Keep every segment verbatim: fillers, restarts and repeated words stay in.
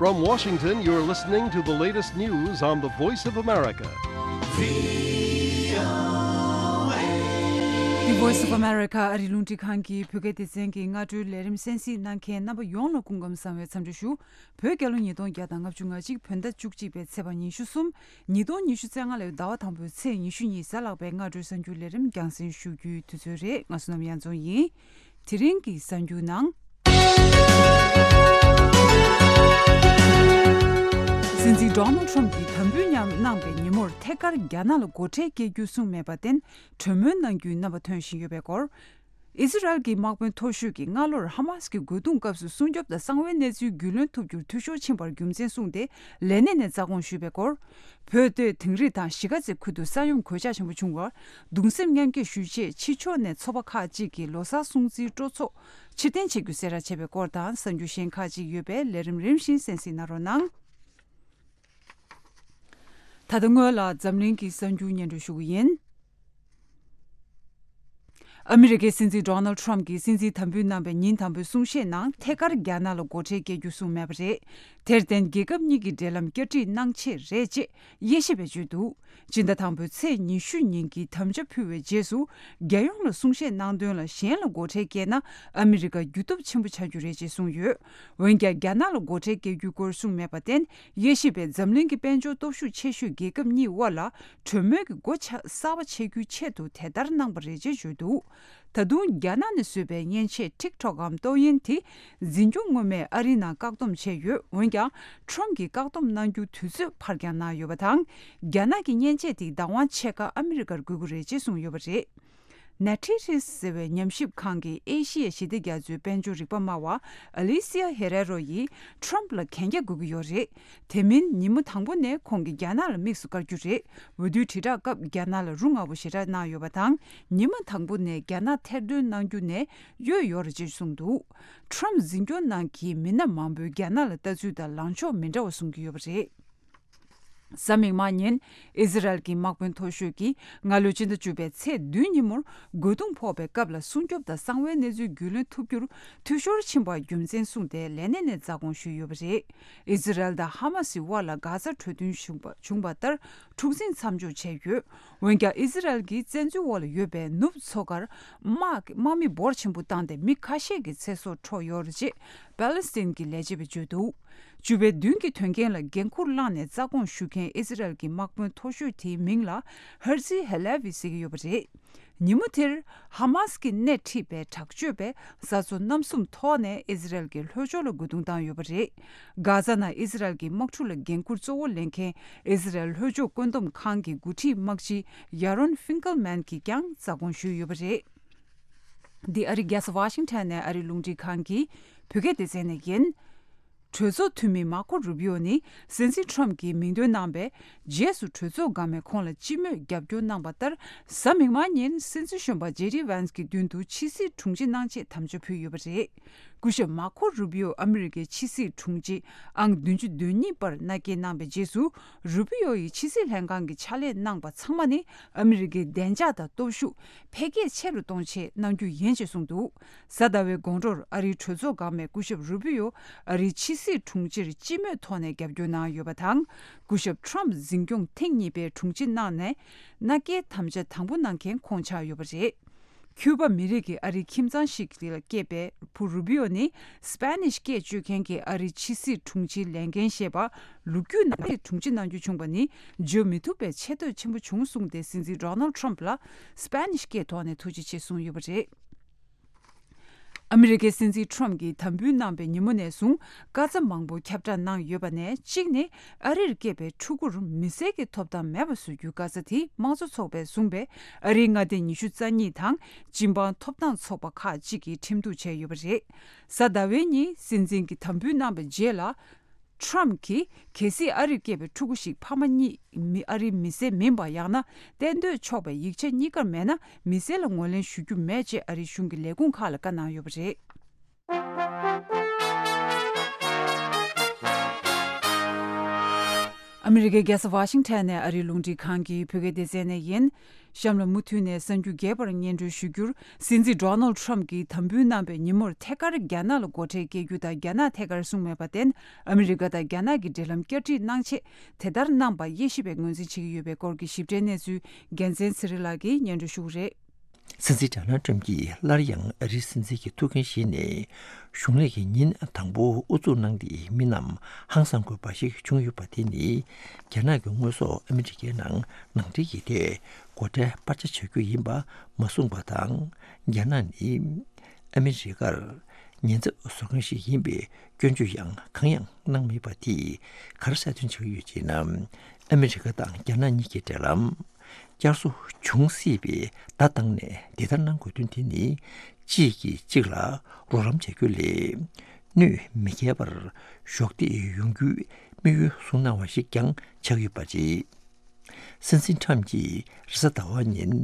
From Washington, you're listening to the latest news on the Voice of America. The Voice of America ཨ་རི་རླུང་འཕྲིན་ཁང་གི་བོད་སྐད་སྡེ་ཚན་གྱི་སྔ་དྲོའི་ལས་རིམ་གསན་གཟིགས་གནང་མཁན་རྣམ་པ་ཡོངས་ལ་སྐུ་ཁམས་བཟང་བའི་འཚམས་འདྲི་ཞུ། བོད་རྒྱལ་ལོ་ཉིས་སྟོང་བརྒྱ་དང་ལྔ་བཅུ་ང་གཅིག་བོད་ཟླ་བཅུ་གཅིག་པའི་ཚེས་པ་ཉི་ཤུ་གསུམ། ཉིས་སྟོང་ཉི་ཤུ་རྩ་ལྔ་ལོའི་ཟླ་བ་དང་པོའི་ཚེས་ཉི་ཤུ་གཉིས་གཟའ་ལྷག་པའི་སྔ་དྲོའི་གསར་འགྱུར་ལས་རིམ་རྒྱང་སྲིང་ཞུ་རྒྱུའི་དུས་ཚོད་རེད། ང་བསོད་ནམས་གཡང་འཛོམས་ཡིན། དེ་རིང་གི་གསར་འགྱུར་ནང་། སྲིད་འཛིན་ཌོ་ནལ་ཊམ་གྱིས་དམ་འབུལ་མཉམ་གནང་པའི་ཉིན་མོར་ཐད་ཀར་རྒྱ་ནག་ལ་སྒོ་ཁྲལ་སྐྱེལ་རྒྱུ་གསུངས་མེད་པར་བརྟེན། གྲོས་མོལ་གནང་རྒྱུའི་རྣམ་པ་ཐོན་བཞིན་ཡོད་པའི་སྐོར། ཨི་ཟི་རལ་གྱི་དམག་དཔོན་མཐོ་ཤོས་ཀྱིས་སྔ་ལོར་ཧ་མཱས་ཀྱི་རྒོལ་རྡུང་སྐབས་སུ་སྲུང་སྐྱོབ་དང་གསང་བའི་གནས་ཚུལ་རྒྱུས་ལོན་ཐུབ་རྒྱུར་འཐུས་ཤོར་ཕྱིན་པར་རྒྱུ་མཚན་གསུངས་ཏེ། ལས་གནས་ནས་རྩ་དགོངས་ཞུས་པའི་སྐོར། བོད་སྡོད་དིང་རི་དང་གཞིས་ཀ་རྩེ་ཁུལ་དུ་ས་ཡོམ་གོད་ཆག་ཆེན་པོ་བྱུང་བར་གདུང་སེམས་མཉམ་སྐྱེད་ཞུ་ཆེད། ཕྱི་ཕྱོགས་ནས་ཚོགས་པ་ཁག་ཅིག་གིས་ལོ་གསར་སྲུང་བརྩིའི་སྤྲོ་ཚོགས་ཕྱིར་འཐེན་བྱེད་རྒྱུ་གསལ་བསྒྲགས་བྱས་པའི་སྐོར་དང་། གསར་འགྱུར་གཞན་ཁག་ཅིག་ཡོད་པས་ལས་རིམ་རིམ་བཞིན་གསན་གཟིགས་གནང་རོགས་གནང་། ད་ལྟ་སྔོན་ལ་འཛམ་གླིང་གི་གསར་འགྱུར་སྙན་སྒྲོན་ཞུ་གི་ཡིན། ཨ་མི་རི་ཀའི་སྲིད་འཛིན་ཌོ་ནལ་ཊམ་གྱིས་སྲིད་འཛིན་དམ་འབུལ་གནང་པའི་ཉིན་དང་པོའི་གསུང་བཤད་ནང་ཐད་ཀར་རྒྱ་ནག་ལ་སྒོ་ཁྲལ་སྐྱེལ་རྒྱུ་གསུངས་མེད་པ་རེད། དེར་བརྟེན་རྒྱལ་ཁབ་གཉིས་ཀྱི་འབྲེལ་ལམ་བསྐྱར་སྒྲིག་གནང་ཆེད་རེད་ཅེས་དབྱེ་ཞིབ་པས་བརྗོད་འདུག་སྤྱི་ཟླ་དང་པོའི་ཚེས་ཉི་ཤུ་ཉིན་གྱི་དམ་བཅའ་ཕུལ་བའི་རྗེས་སུ། རྒྱལ་ཡོངས་ལ་གསུང་བཤད་གནང་དོན་ལ་གཞན་ལ་སྒོ་ཁྲལ་བཀལ་ན་ཨ་མི་རི་ཀ་རྒྱུ་སྟོབས་ཆེན་པོ་ཆགས་རྒྱུ་རེད་ཅེས་གསུངས་ཡོད། འོན་ཀྱང་རྒྱ་ནག་ལ་སྒོ་ཁྲལ་བཀལ་རྒྱུའི་སྐོར་གསུངས་མེད་པར་བརྟེན། དབྱེ་ཞིབ་པས་འཛམ་གླིང་གི་དཔལ་འབྱོར་སྟོབས་ཤུགས་ཆེ་ཤོས་རྒྱལ་ཁབ་གཉིས་དབར་ལ་གྲོས་མོལ་གྱི་སྒོ་ཆ་གསར་པ་ཕྱེ་རྒྱུའི་ཆེད་དུ་དེ་ལྟར་གནང་པ་རེད་ཅེས་བརྗོད་འདུག་ད་དུང་རྒྱ་ནག་ནས་བཟོས་པའི་མཉེན་ཆས་ཊིག་ཊོག་གམ་ཏོག་དབྱིབས་དེ་འཛིན་སྐྱོང་སྔོན་མས་ཨ་རིའི་ནང་བཀག་སྡོམ་བྱས་ཡོད། འོན་ཀྱང་ཊམ་གྱིས་བཀག་སྡོམ་གནང་རྒྱུ་དུས་ཚོད་ཕར་འགྱངས་གནང་ཡོད་པ་དང་། རྒྱ་ནག་གིས་མཉེན་ཆས་དེ་བདག་དབང་ཆད་ཁར་ཨ་མི་རི་ཀར་དགོས་ཀྱི་རེད་ཅེས་གསུངས་ཡོད་པ་རེད། ནེ་ཊི་རིས་ཟེར་བའི་ཉམས་ཞིབ་ཁང་གི་ཨེ་ཤི་ཡའི་ཞི་བདེ་རྒྱ་མཚོའི་དཔལ་འབྱོར་རིག་པ་སྨྲ་བ་ཨ་ལི་སི་ཡ་ཧེ་རེ་རོ་ཡིས་ཊམ་ལ་གན་རྒྱ་དགོས་ཀྱི་ཡོད་རེད། དེ་མིན་ཉིན་མོ་དང་པོ་ནས་ཁོང་གིས་རྒྱ་ནག་ལ་དམིགས་སུ་བཀར་རྒྱུ་རེད། འོས་བསྡུའི་དྲིལ་བསྒྲགས་སྐབས་རྒྱ་ནག་ལ་རུ་ང་བོ་ཞེ་དྲག་གནང་ཡོད་པ་དང་། ཉི་མ་དང་པོ་ནས་རྒྱ་ནག་ཐེར་འདོན་གནང་རྒྱུ་ནས་གཡོལ་ཡོད་རེད་ཅེས་གསུངས་འདུག་ཊམ་འཛིན་སྐྱོང་ནང་གི་མི་སྣ་མང་པོས་རྒྱ་ནག་ལ་ལྟ་ཚུལ་དང་ལངས་ཕྱོགས་མི་འདྲ་བ་གསུང་གི་ཡོད་པ་རེད། གཟའ་མིག་དམར་ཉིན་ཨི་ཟི་རལ་གྱི་དམག་དཔོན་མཐོ་ཤོས་ཀྱིས་སྔ་ལོའི་སྤྱི་ཟླ་བཅུ་པའི་ཚེས་བདུན་ཉིན་མོར་རྒོལ་རྡུང་ཕོག་པའི་སྐབས་ལ་སྲུང་སྐྱོབ་དང་གསང་བའི་གནས་ཚུལ་རྒྱུས་ལོན་ཐུབ་རྒྱུར་འཐུས་ཤོར་ཕྱིན་པར་རྒྱུ་མཚན་གསུངས་ཏེ་ལས་གནས་ནས་རྩ་དགོངས་ཞུས་ཡོད་པ་རེད། ཨི་ཟི་རལ་དང་ཧ་མ་སི་དབར་ལ་གྷ་ཛ་གྲོས་མཐུན་བྱུང་པ་བྱུང་པ་ལྟར་འཁྲུག་འཛིང་མཚམས་འཇོག་བྱས་ཡོད། འོན་ཀྱང་ཨི་ཟི་རལ་གྱིས་བཙན་འཛུལ་འོག་ལ་ཡོད་པའི་ནུབ་མཚོ་ཁར་དམག་དམག་མི་འབོར་ཆེན་པོ་བཏང་སྟེ་མི་ཁ་ཤས་ཀྱི་ཚེ་སྲོག་འཕྲོག་ཡོད་རེད་ཅེས་པ་ལི་སི་ཐན་གྱི་ལས་བྱེད་པས་བརྗོད་འདུག་བཅུ་པའི་བདུན་གྱི་དོན་རྐྱེན་ལ་འགན་འཁུར་བླངས་ནས་རྩ་དགོངས་ཞུ་མཁན་ཨི་ཟི་རལ་གྱི་དམག་དཔོན་མཐོ་ཤོས་དེའི་མིང་ལ་ཧར་ཛི་ཧེ་ལེ་ཝི་ཟེར་གྱི་ཡོད་པ་རེད། ཉིན་མོ་དེར་ཧ་མཱས་ཀྱིས་སྣེ་ཁྲིད་པའི་དྲག་སྤྱོད་པས་བཟའ་ཚོ་རྣམ་གསུམ་ཐོག་ནས་ཨི་ཟི་རལ་གྱི་ལྷོ་ཕྱོགས་ལ་རྒོལ་རྡུང་བཏང་ཡོད་པ་རེད། གྷ་ཛ་ནང་ཨི་ཟི་རལ་གྱི་དམག་འཁྲུག་ལ་འགན་འཁུར་གཙོ་བོ་ལེན་མཁན་ཨི་ཟི་རལ་ལྷོ་ཕྱོགས་བཀོད་འདོམས་ཁང་གི་འགོ་ཁྲིད་དམག་སྤྱི་ཡ་རོན་ཧྥིང་ཀལ་མན་གྱིས་ཀྱང་རྩ་དགོངས་ཞུས་ཡོད་པ་རེད། འདི་ཨ་རིའི་རྒྱལ་ས་ཝ་ཤིང་ཊོན་ནས་ཨ་རིའི་རླུང་འཕྲིན་ཁང་གི་བོད་སྐད་སྡེ་ཚན་ནས་ཡིན། གྲོས་ཚོགས་འཐུས་མི་མར་ཁོ་རུ་བི་ཨོ་ནི་སྲིད་འཛིན་ཁྲོམ་གྱིས་མིང་འདོན་གནང་བའི་རྗེས་སུ་གྲོས་ཚོགས་འགག་མེད་ཁོང་ལ་སྤྱི་མོས་རྒྱབ་སྐྱོར་གནང་བ་ལྟར། གཟའ་མིག་དམར་ཉིན་སྲིད་འཛིན་གཞོན་པ་ཇེ་ཌི་ཝན་སི་གི་མདུན་དུ་ཕྱི་སྲིད་དྲུང་ཆེ་གནང་ཆེད་དམ་བཅའ་ཕུལ་ཡོད་པ་རེད། སྐུ་ཞབས་མར་ཁོ་རུ་བི་ཨོ་ཨ་མི་རི་ཀའི་ཕྱི་སྲིད་དྲུང་ཆེ་ཨང་བདུན་ཅུ་དོན་གཉིས་པར་མནའ་སྐྱེལ་གནང་བའི་རྗེས་སུ། རུ་བི་ཨོ་ཡིས་ཕྱི་སྲིད་ལྷན་ཁང་གི་ཕྱག་ལས་གནང་པ་ཚང་མ་ནི་ཨ་མི་རི་ཀའི་བདེ་འཇགས་དང་སྟོབས་ཤུགས་འཕེལ་རྒྱས་ཆེ་རུ་གཏོང་ཆེད་གནང་རྒྱུ་ཡིན་ཅེས་གསུངས་འདུག་གཟའ་ཟླ་བའི་དགོང་དྲོར་ཨ་རིའི་གྲོས་ཚོགས་འགག་མེད་སྐུ་ཞབས་རུ་བི་ཨོ་ཨ་རིའི་ཕྱི་སྲིད་དྲུང་ཆེར་སྤྱི་མོས་ཐོག་ནས་རྒྱབ་སྐྱོར་གནང་ཡོད་པ་དང་། སྐུ་ཞབས་ཁྲོམ་འཛིན་སྐྱོང་ཐེངས་གཉིས་པའི་དྲུང་ཆེ་གནང་ནས་མནའ་སྐྱེལ་དམ་བཅའ་དང་པོ་གནང་མཁན་ཁོང་ཆགས་ཡོད་པ་རེད། ཁྱུ་པ་མི་རིགས་ཀྱི་ཨ་རིའི་ཁྱིམ་ཚང་ཞིག་ལ་སྐྱེས་པའི་བུ་རུ་བི་ཨོ་ནི་སྤེ་ནིཤ་སྐད་སྤྱོད་མཁན་གྱི་ཨ་རིའི་ཕྱི་སྲིད་དྲུང་ཆེའི་ལས་འགན་བཞེས་པ། ལོ་རྒྱུས་ནང་དྲུང་ཆེ་གནང་རྒྱུ་བྱུང་བ་ནི་བརྗོད་མི་ཐུབ་པའི་ཆེ་བསྟོད་ཆེན་པོ་བྱུང་གསུངས་ཏེ། སྲིད་འཛིན་ཌོ་ནལ་ཁྲོམ་ལ་སྤེ་ནིཤ་སྐད་ཐོག་ནས་ཐུགས་རྗེ་ཆེ་གསུངས་ཡོད་པ་རེད། ཨ་མི་རི་ཀའི་སྲིད་འཛིན་ཁྲོམ་གྱིས་དམ་འབུལ་གནང་པའི་ཉིན་མོ་ནས་བཟུང་། བཀའ་རྩ་མང་པོ་ཁྱབ་བསྒྲགས་གནང་ཡོད་པ་ནས་གཅིག་ནི། ཨ་རིར་སྐྱེས་པའི་ཕྲུ་གུར་མི་སེར་གྱི་ཐོབ་ཐང་མེད་པ་བཟོ་རྒྱུའི་བཀའ་རྩ་དེ་དམངས་གཙོ་ཚོགས་པས་བཟུང་བའི་ཨ་རིའི་མངའ་སྡེ་ཉི་ཤུ་རྩ་གཉིས་དང་སྤྱི་འབངས་ཐོབ་ཐང་ཚོགས་པ་ཁག་ཅིག་གིས་ཁྲིམས་གཏུག་བྱས་ཡོད་པ་རེད། གཟའ་ཟླ་བའི་ཉིན་སྲིད་འཛིན་གྱིས་དམ་འབུལ་གནང་པའི་རྗེས་ལ། ཁྲོམ་གྱིས་གལ་སྲིད་ཨ་རིར་སྐྱེས་པའི་ཕྲུ་གུ་ཞིག་ཕ་མ་གཉིས་མི་ཨ་རིའི་མི་སེར་མིན་པ་ཡང་ན་གཏན་སྡོད་ཆོག་པའི་ཡིག་ཆ་གཉིས་ཀར་མེད་ན་མི་སེར་ལ་ངོས་ལེན་ཞུ་རྒྱུ་མེད་ཅེས་ཨ་རིའི་གཞུང་གི་ལས་ཁུངས་ཁག་ལ་བཀའ་གནང་ཡོད་པ་རེད། ཨ་མི་རི་ཀའི་རྒྱལ་ས་ཝ་ཤིང་ཊོན་ནས་ཨ་རིའི་རླུང་འཕྲིན་ཁང་གི་བོད་སྐད་སྡེ་ཚན་ནས་ཡིན། གཤམ་ལ་མུ་མཐུད་ནས་གསར་འགྱུར་རྒྱས་པར་སྙན་སྒྲོན་ཞུ་རྒྱུར། སྲིད་འཛིན་ཌོ་ནལ་ཊམ་གྱིས་དམ་འབུལ་གནང་བའི་ཉིན་མོར་ཐད་ཀར་རྒྱ་ནག་ལ་སྒོ་ཁྲལ་བཀལ་རྒྱུ་དང་རྒྱ་ནག་ཐད་ཀར་གསུངས་མེད་པར་བརྟེན། ཨ་མི་རི་ཀ་དང་རྒྱ་ནག་གི་འབྲེལ་ལམ་བསྐྱར་སྒྲིག་གནང་ཆེད་དེ་ལྟར་གནང་པ་དབྱེ་ཞིབ་པས་ངོས་འཛིན་བྱེད་ཀྱི་ཡོད་པའི་སྐོར་གྱི་ཞིབ་ཕྲའི་གནས་ཚུལ་རྒྱལ་མཚན་ཚེ་རིང་ལགས་ཀྱིས་སྙན་སྒྲོན་ཞུ་གི་རེད། སྲིད་འཛིན་ཌོ་ནལ་ཊམ་གྱིས་སླར་ཡང་ཨ་རིའི་སྲིད་འཛིན་གྱི་ཐུགས་འགན་བཞེས་ནས་གཞུང་ལས་ཀྱི་ཉིན་དང་པོ་དབུ་འཛུགས་གནང་སྟེ་མི་རྣམས་ཧང་སང་དགོས་པ་ཞིག་བྱུང་ཡོད་པ་དེ་ནི། རྒྱ་ནག་གི་དངོས་ཟོག་ཨ་མི་རི་ཀའི་ནང་ནང་འདྲེན་གྱི་ཐད་སྒོ་ཁྲལ་སྤར་ཆ་བྱ་རྒྱུ་ཡིན་པ་མ་གསུངས་པ་དང་། རྒྱ་ནག་ནི་ཨ་མི་རི་ཀར་ཉེན་ཚབས་བཟོ་མཁན་ཞིག་ཡིན་པའི་སྐྱོན་བརྗོད་ཡང་གང་ཡང་གནང་མེད་པ་དེས་ག་རེ་གསལ་སྟོན་བྱེད་ཀྱི་ཡོད་ཅེ་ན། ཨ་མི་རི་ཀ་དང་རྒྱ་ནག་གཉིས་ཀྱི་འབྲེལ་ལམ་བསྐྱར་གསོ་འབྱུང་སྲིད་པའི་བརྡ་བཏང་ནས་འདི་ལྟར་གནང་དགོས་དོན་དེ་ནི། གཅིག་གིས་གཅིག་ལ་རོགས་རམ་བྱ་རྒྱུ་ལས། གནོད་མི་སྐྱེལ་བར་གཞོགས་འདེགས་ཡོང་རྒྱུའི་དམིགས་ཡུལ་བཟུང་གནང་བ་ཞིག་ཀྱང་ཆགས་ཡོད་པ་རེད། སྲིད་འཛིན་ཁྲམ་གྱིས་རེས་གཟའ་ཟླ་བ་ཉིན་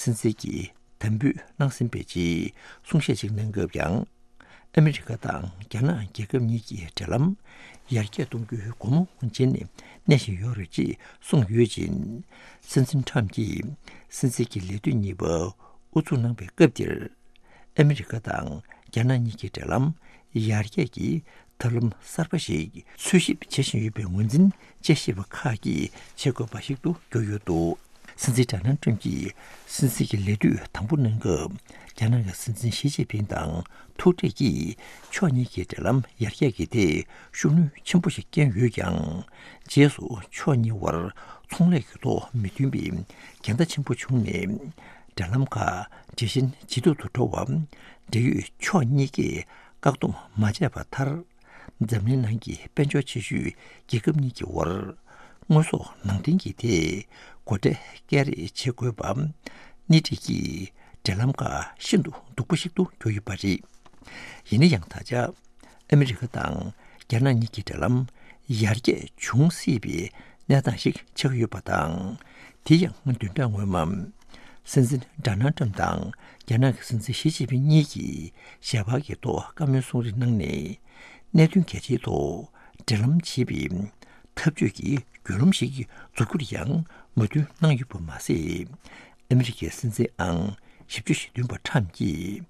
སྲིད་འཛིན་གྱི་དམ་འབུལ་གནང་ཟིན་པའི་རྗེས་གསུང་བཤད་ཅིག་གནང་སྐབས་ཀྱང་། ཨ་མི་རི་ཀ་དང་རྒྱ་ནག་རྒྱལ་ཁབ་གཉིས་ཀྱི་འབྲེལ་ལམ་ཡར་རྒྱས་གཏོང་རྒྱུའི་སྒོ་མོ་འབྱེད་ནས་གནས་བཞིན་ཡོད་རེད་ཅེས་གསུངས་ཡོད་ཅིང་། སྲིད་འཛིན་ཁྲམ་གྱིས་སྲིད་འཛིན་གྱི་ལས་དུས་གཉིས་པ་དབུ་འཛུགས་གནང་པའི་སྐབས་དེར། ཨ་མི་རི་ཀ་དང་རྒྱ་ནག་གཉིས་ཀྱི་འབྲེལ་ལམ་ཡར་རྒྱས་ཀྱི་ཐབས་ལམ་གསར་པ་ཞིག་འཚོལ་ཞིབ་བྱེད་བཞིན་ཡོད་པའི་ངོས་འཛིན་དཔྱད་ཞིབ་པ་ཁག་གིས་བྱེད་དགོས་པ་ཞིག་ཏུ་གྱུར་ཡོད་འདུག། སྲིད་འཛིན་ཌོ་ནལ་ཏྲམ་གྱིས་སྲིད་འཛིན་གྱི་ལས་དུས་དང་པོ་གནང་སྐབས། རྒྱ་ནག་གི་སྲིད་འཛིན་ཞི་ཅིན་ཕིང་དང་ཐུག་འཕྲད་ཀྱིས་ཕྱོགས་གཉིས་ཀྱི་འབྲེལ་ལམ་ཡར་རྒྱས་ཀྱི་ཐད་ཤུགས་སྣོན་ཆེན་པོ་ཞིག་བསྐྱོན་ཡོད་ཀྱང་། རྗེས་སུ་ཕྱོགས་གཉིས་བར་ཚོང་ལས་ཀྱི་ཐོག་མི་མཐུན་པའི་འགལ་ཟླ་ཆེན་པོ་བྱུང་ནས། འབྲེལ་ལམ་ཁག་ཇེ་ཞན་ཇེ་སྡུག་ཏུ་འགྲོ་བ། འབྲེལ་ཡོད་ཕྱོགས་གཉིས་ཀས་བཀག་སྡོམ་མ་བྱས་པ་མཐར། འཛམ་གླིང་ནང་གི་དཔལ་འབྱོར་ཆེ་ཤོས་རྒྱལ་ཁབ་གཉིས་ཀྱི་དབར་དངོས་ཟོག་ནང་འདྲེན་གྱི་ཐད་སྒོ་ཁྲལ་སྐྱེལ་རེས་བྱེད་དགོས་པ། སྣེ་ཁྲིད་ཀྱིས་འབྲེལ་ལམ་ཁག་ཤིན་ཏུ་སྡུག་པོ་ཞིག་ཏུ་གྱུར་ཡོད་པ་རེད། ཡིན་ན་ཡང་ད་ཆ་ཨ་མི་རི་ཀ་དང་རྒྱ་ནག་གཉིས་ཀྱི་འབྲེལ་ལམ་ཡར་རྒྱས་འབྱུང་སྲིད་པའི་གནས་སྟངས་ཤིག་ཆགས་ཡོད་པ་དང་། དེ་ཡང་བདུན་ཕྲག་སྔོན་མ། སྲིད་འཛིན་ཌོ་ནལ་ཏྲམ་དང་རྒྱ་ནག་གི་སྲིད་འཛིན་ཞི་ཅིན་ཕིང་གཉིས་ཀྱིས་ཞལ་པར་གྱི་ཐོག་བཀའ་མོལ་གསུང་རེས་གནང་ནས། གནད་དོན་གལ་ཆེའི་ཐོག་འབྲེལ་ལམ་བྱེད་པའི་འཐབ་ཇུས་ཀྱི་བརྒྱུད་རིམ་ཞིག་འཛུགས་རྒྱུར་ཡང་མོས་མཐུན་གནང་ཡོད་པ་མ་ཟད། ཨ་མི་རི་ཀའི་སྲིད་འཛིན་ཨང་བཞི་བཅུ་ཞེ་བདུན་པ་ཁྲམ་གྱིས།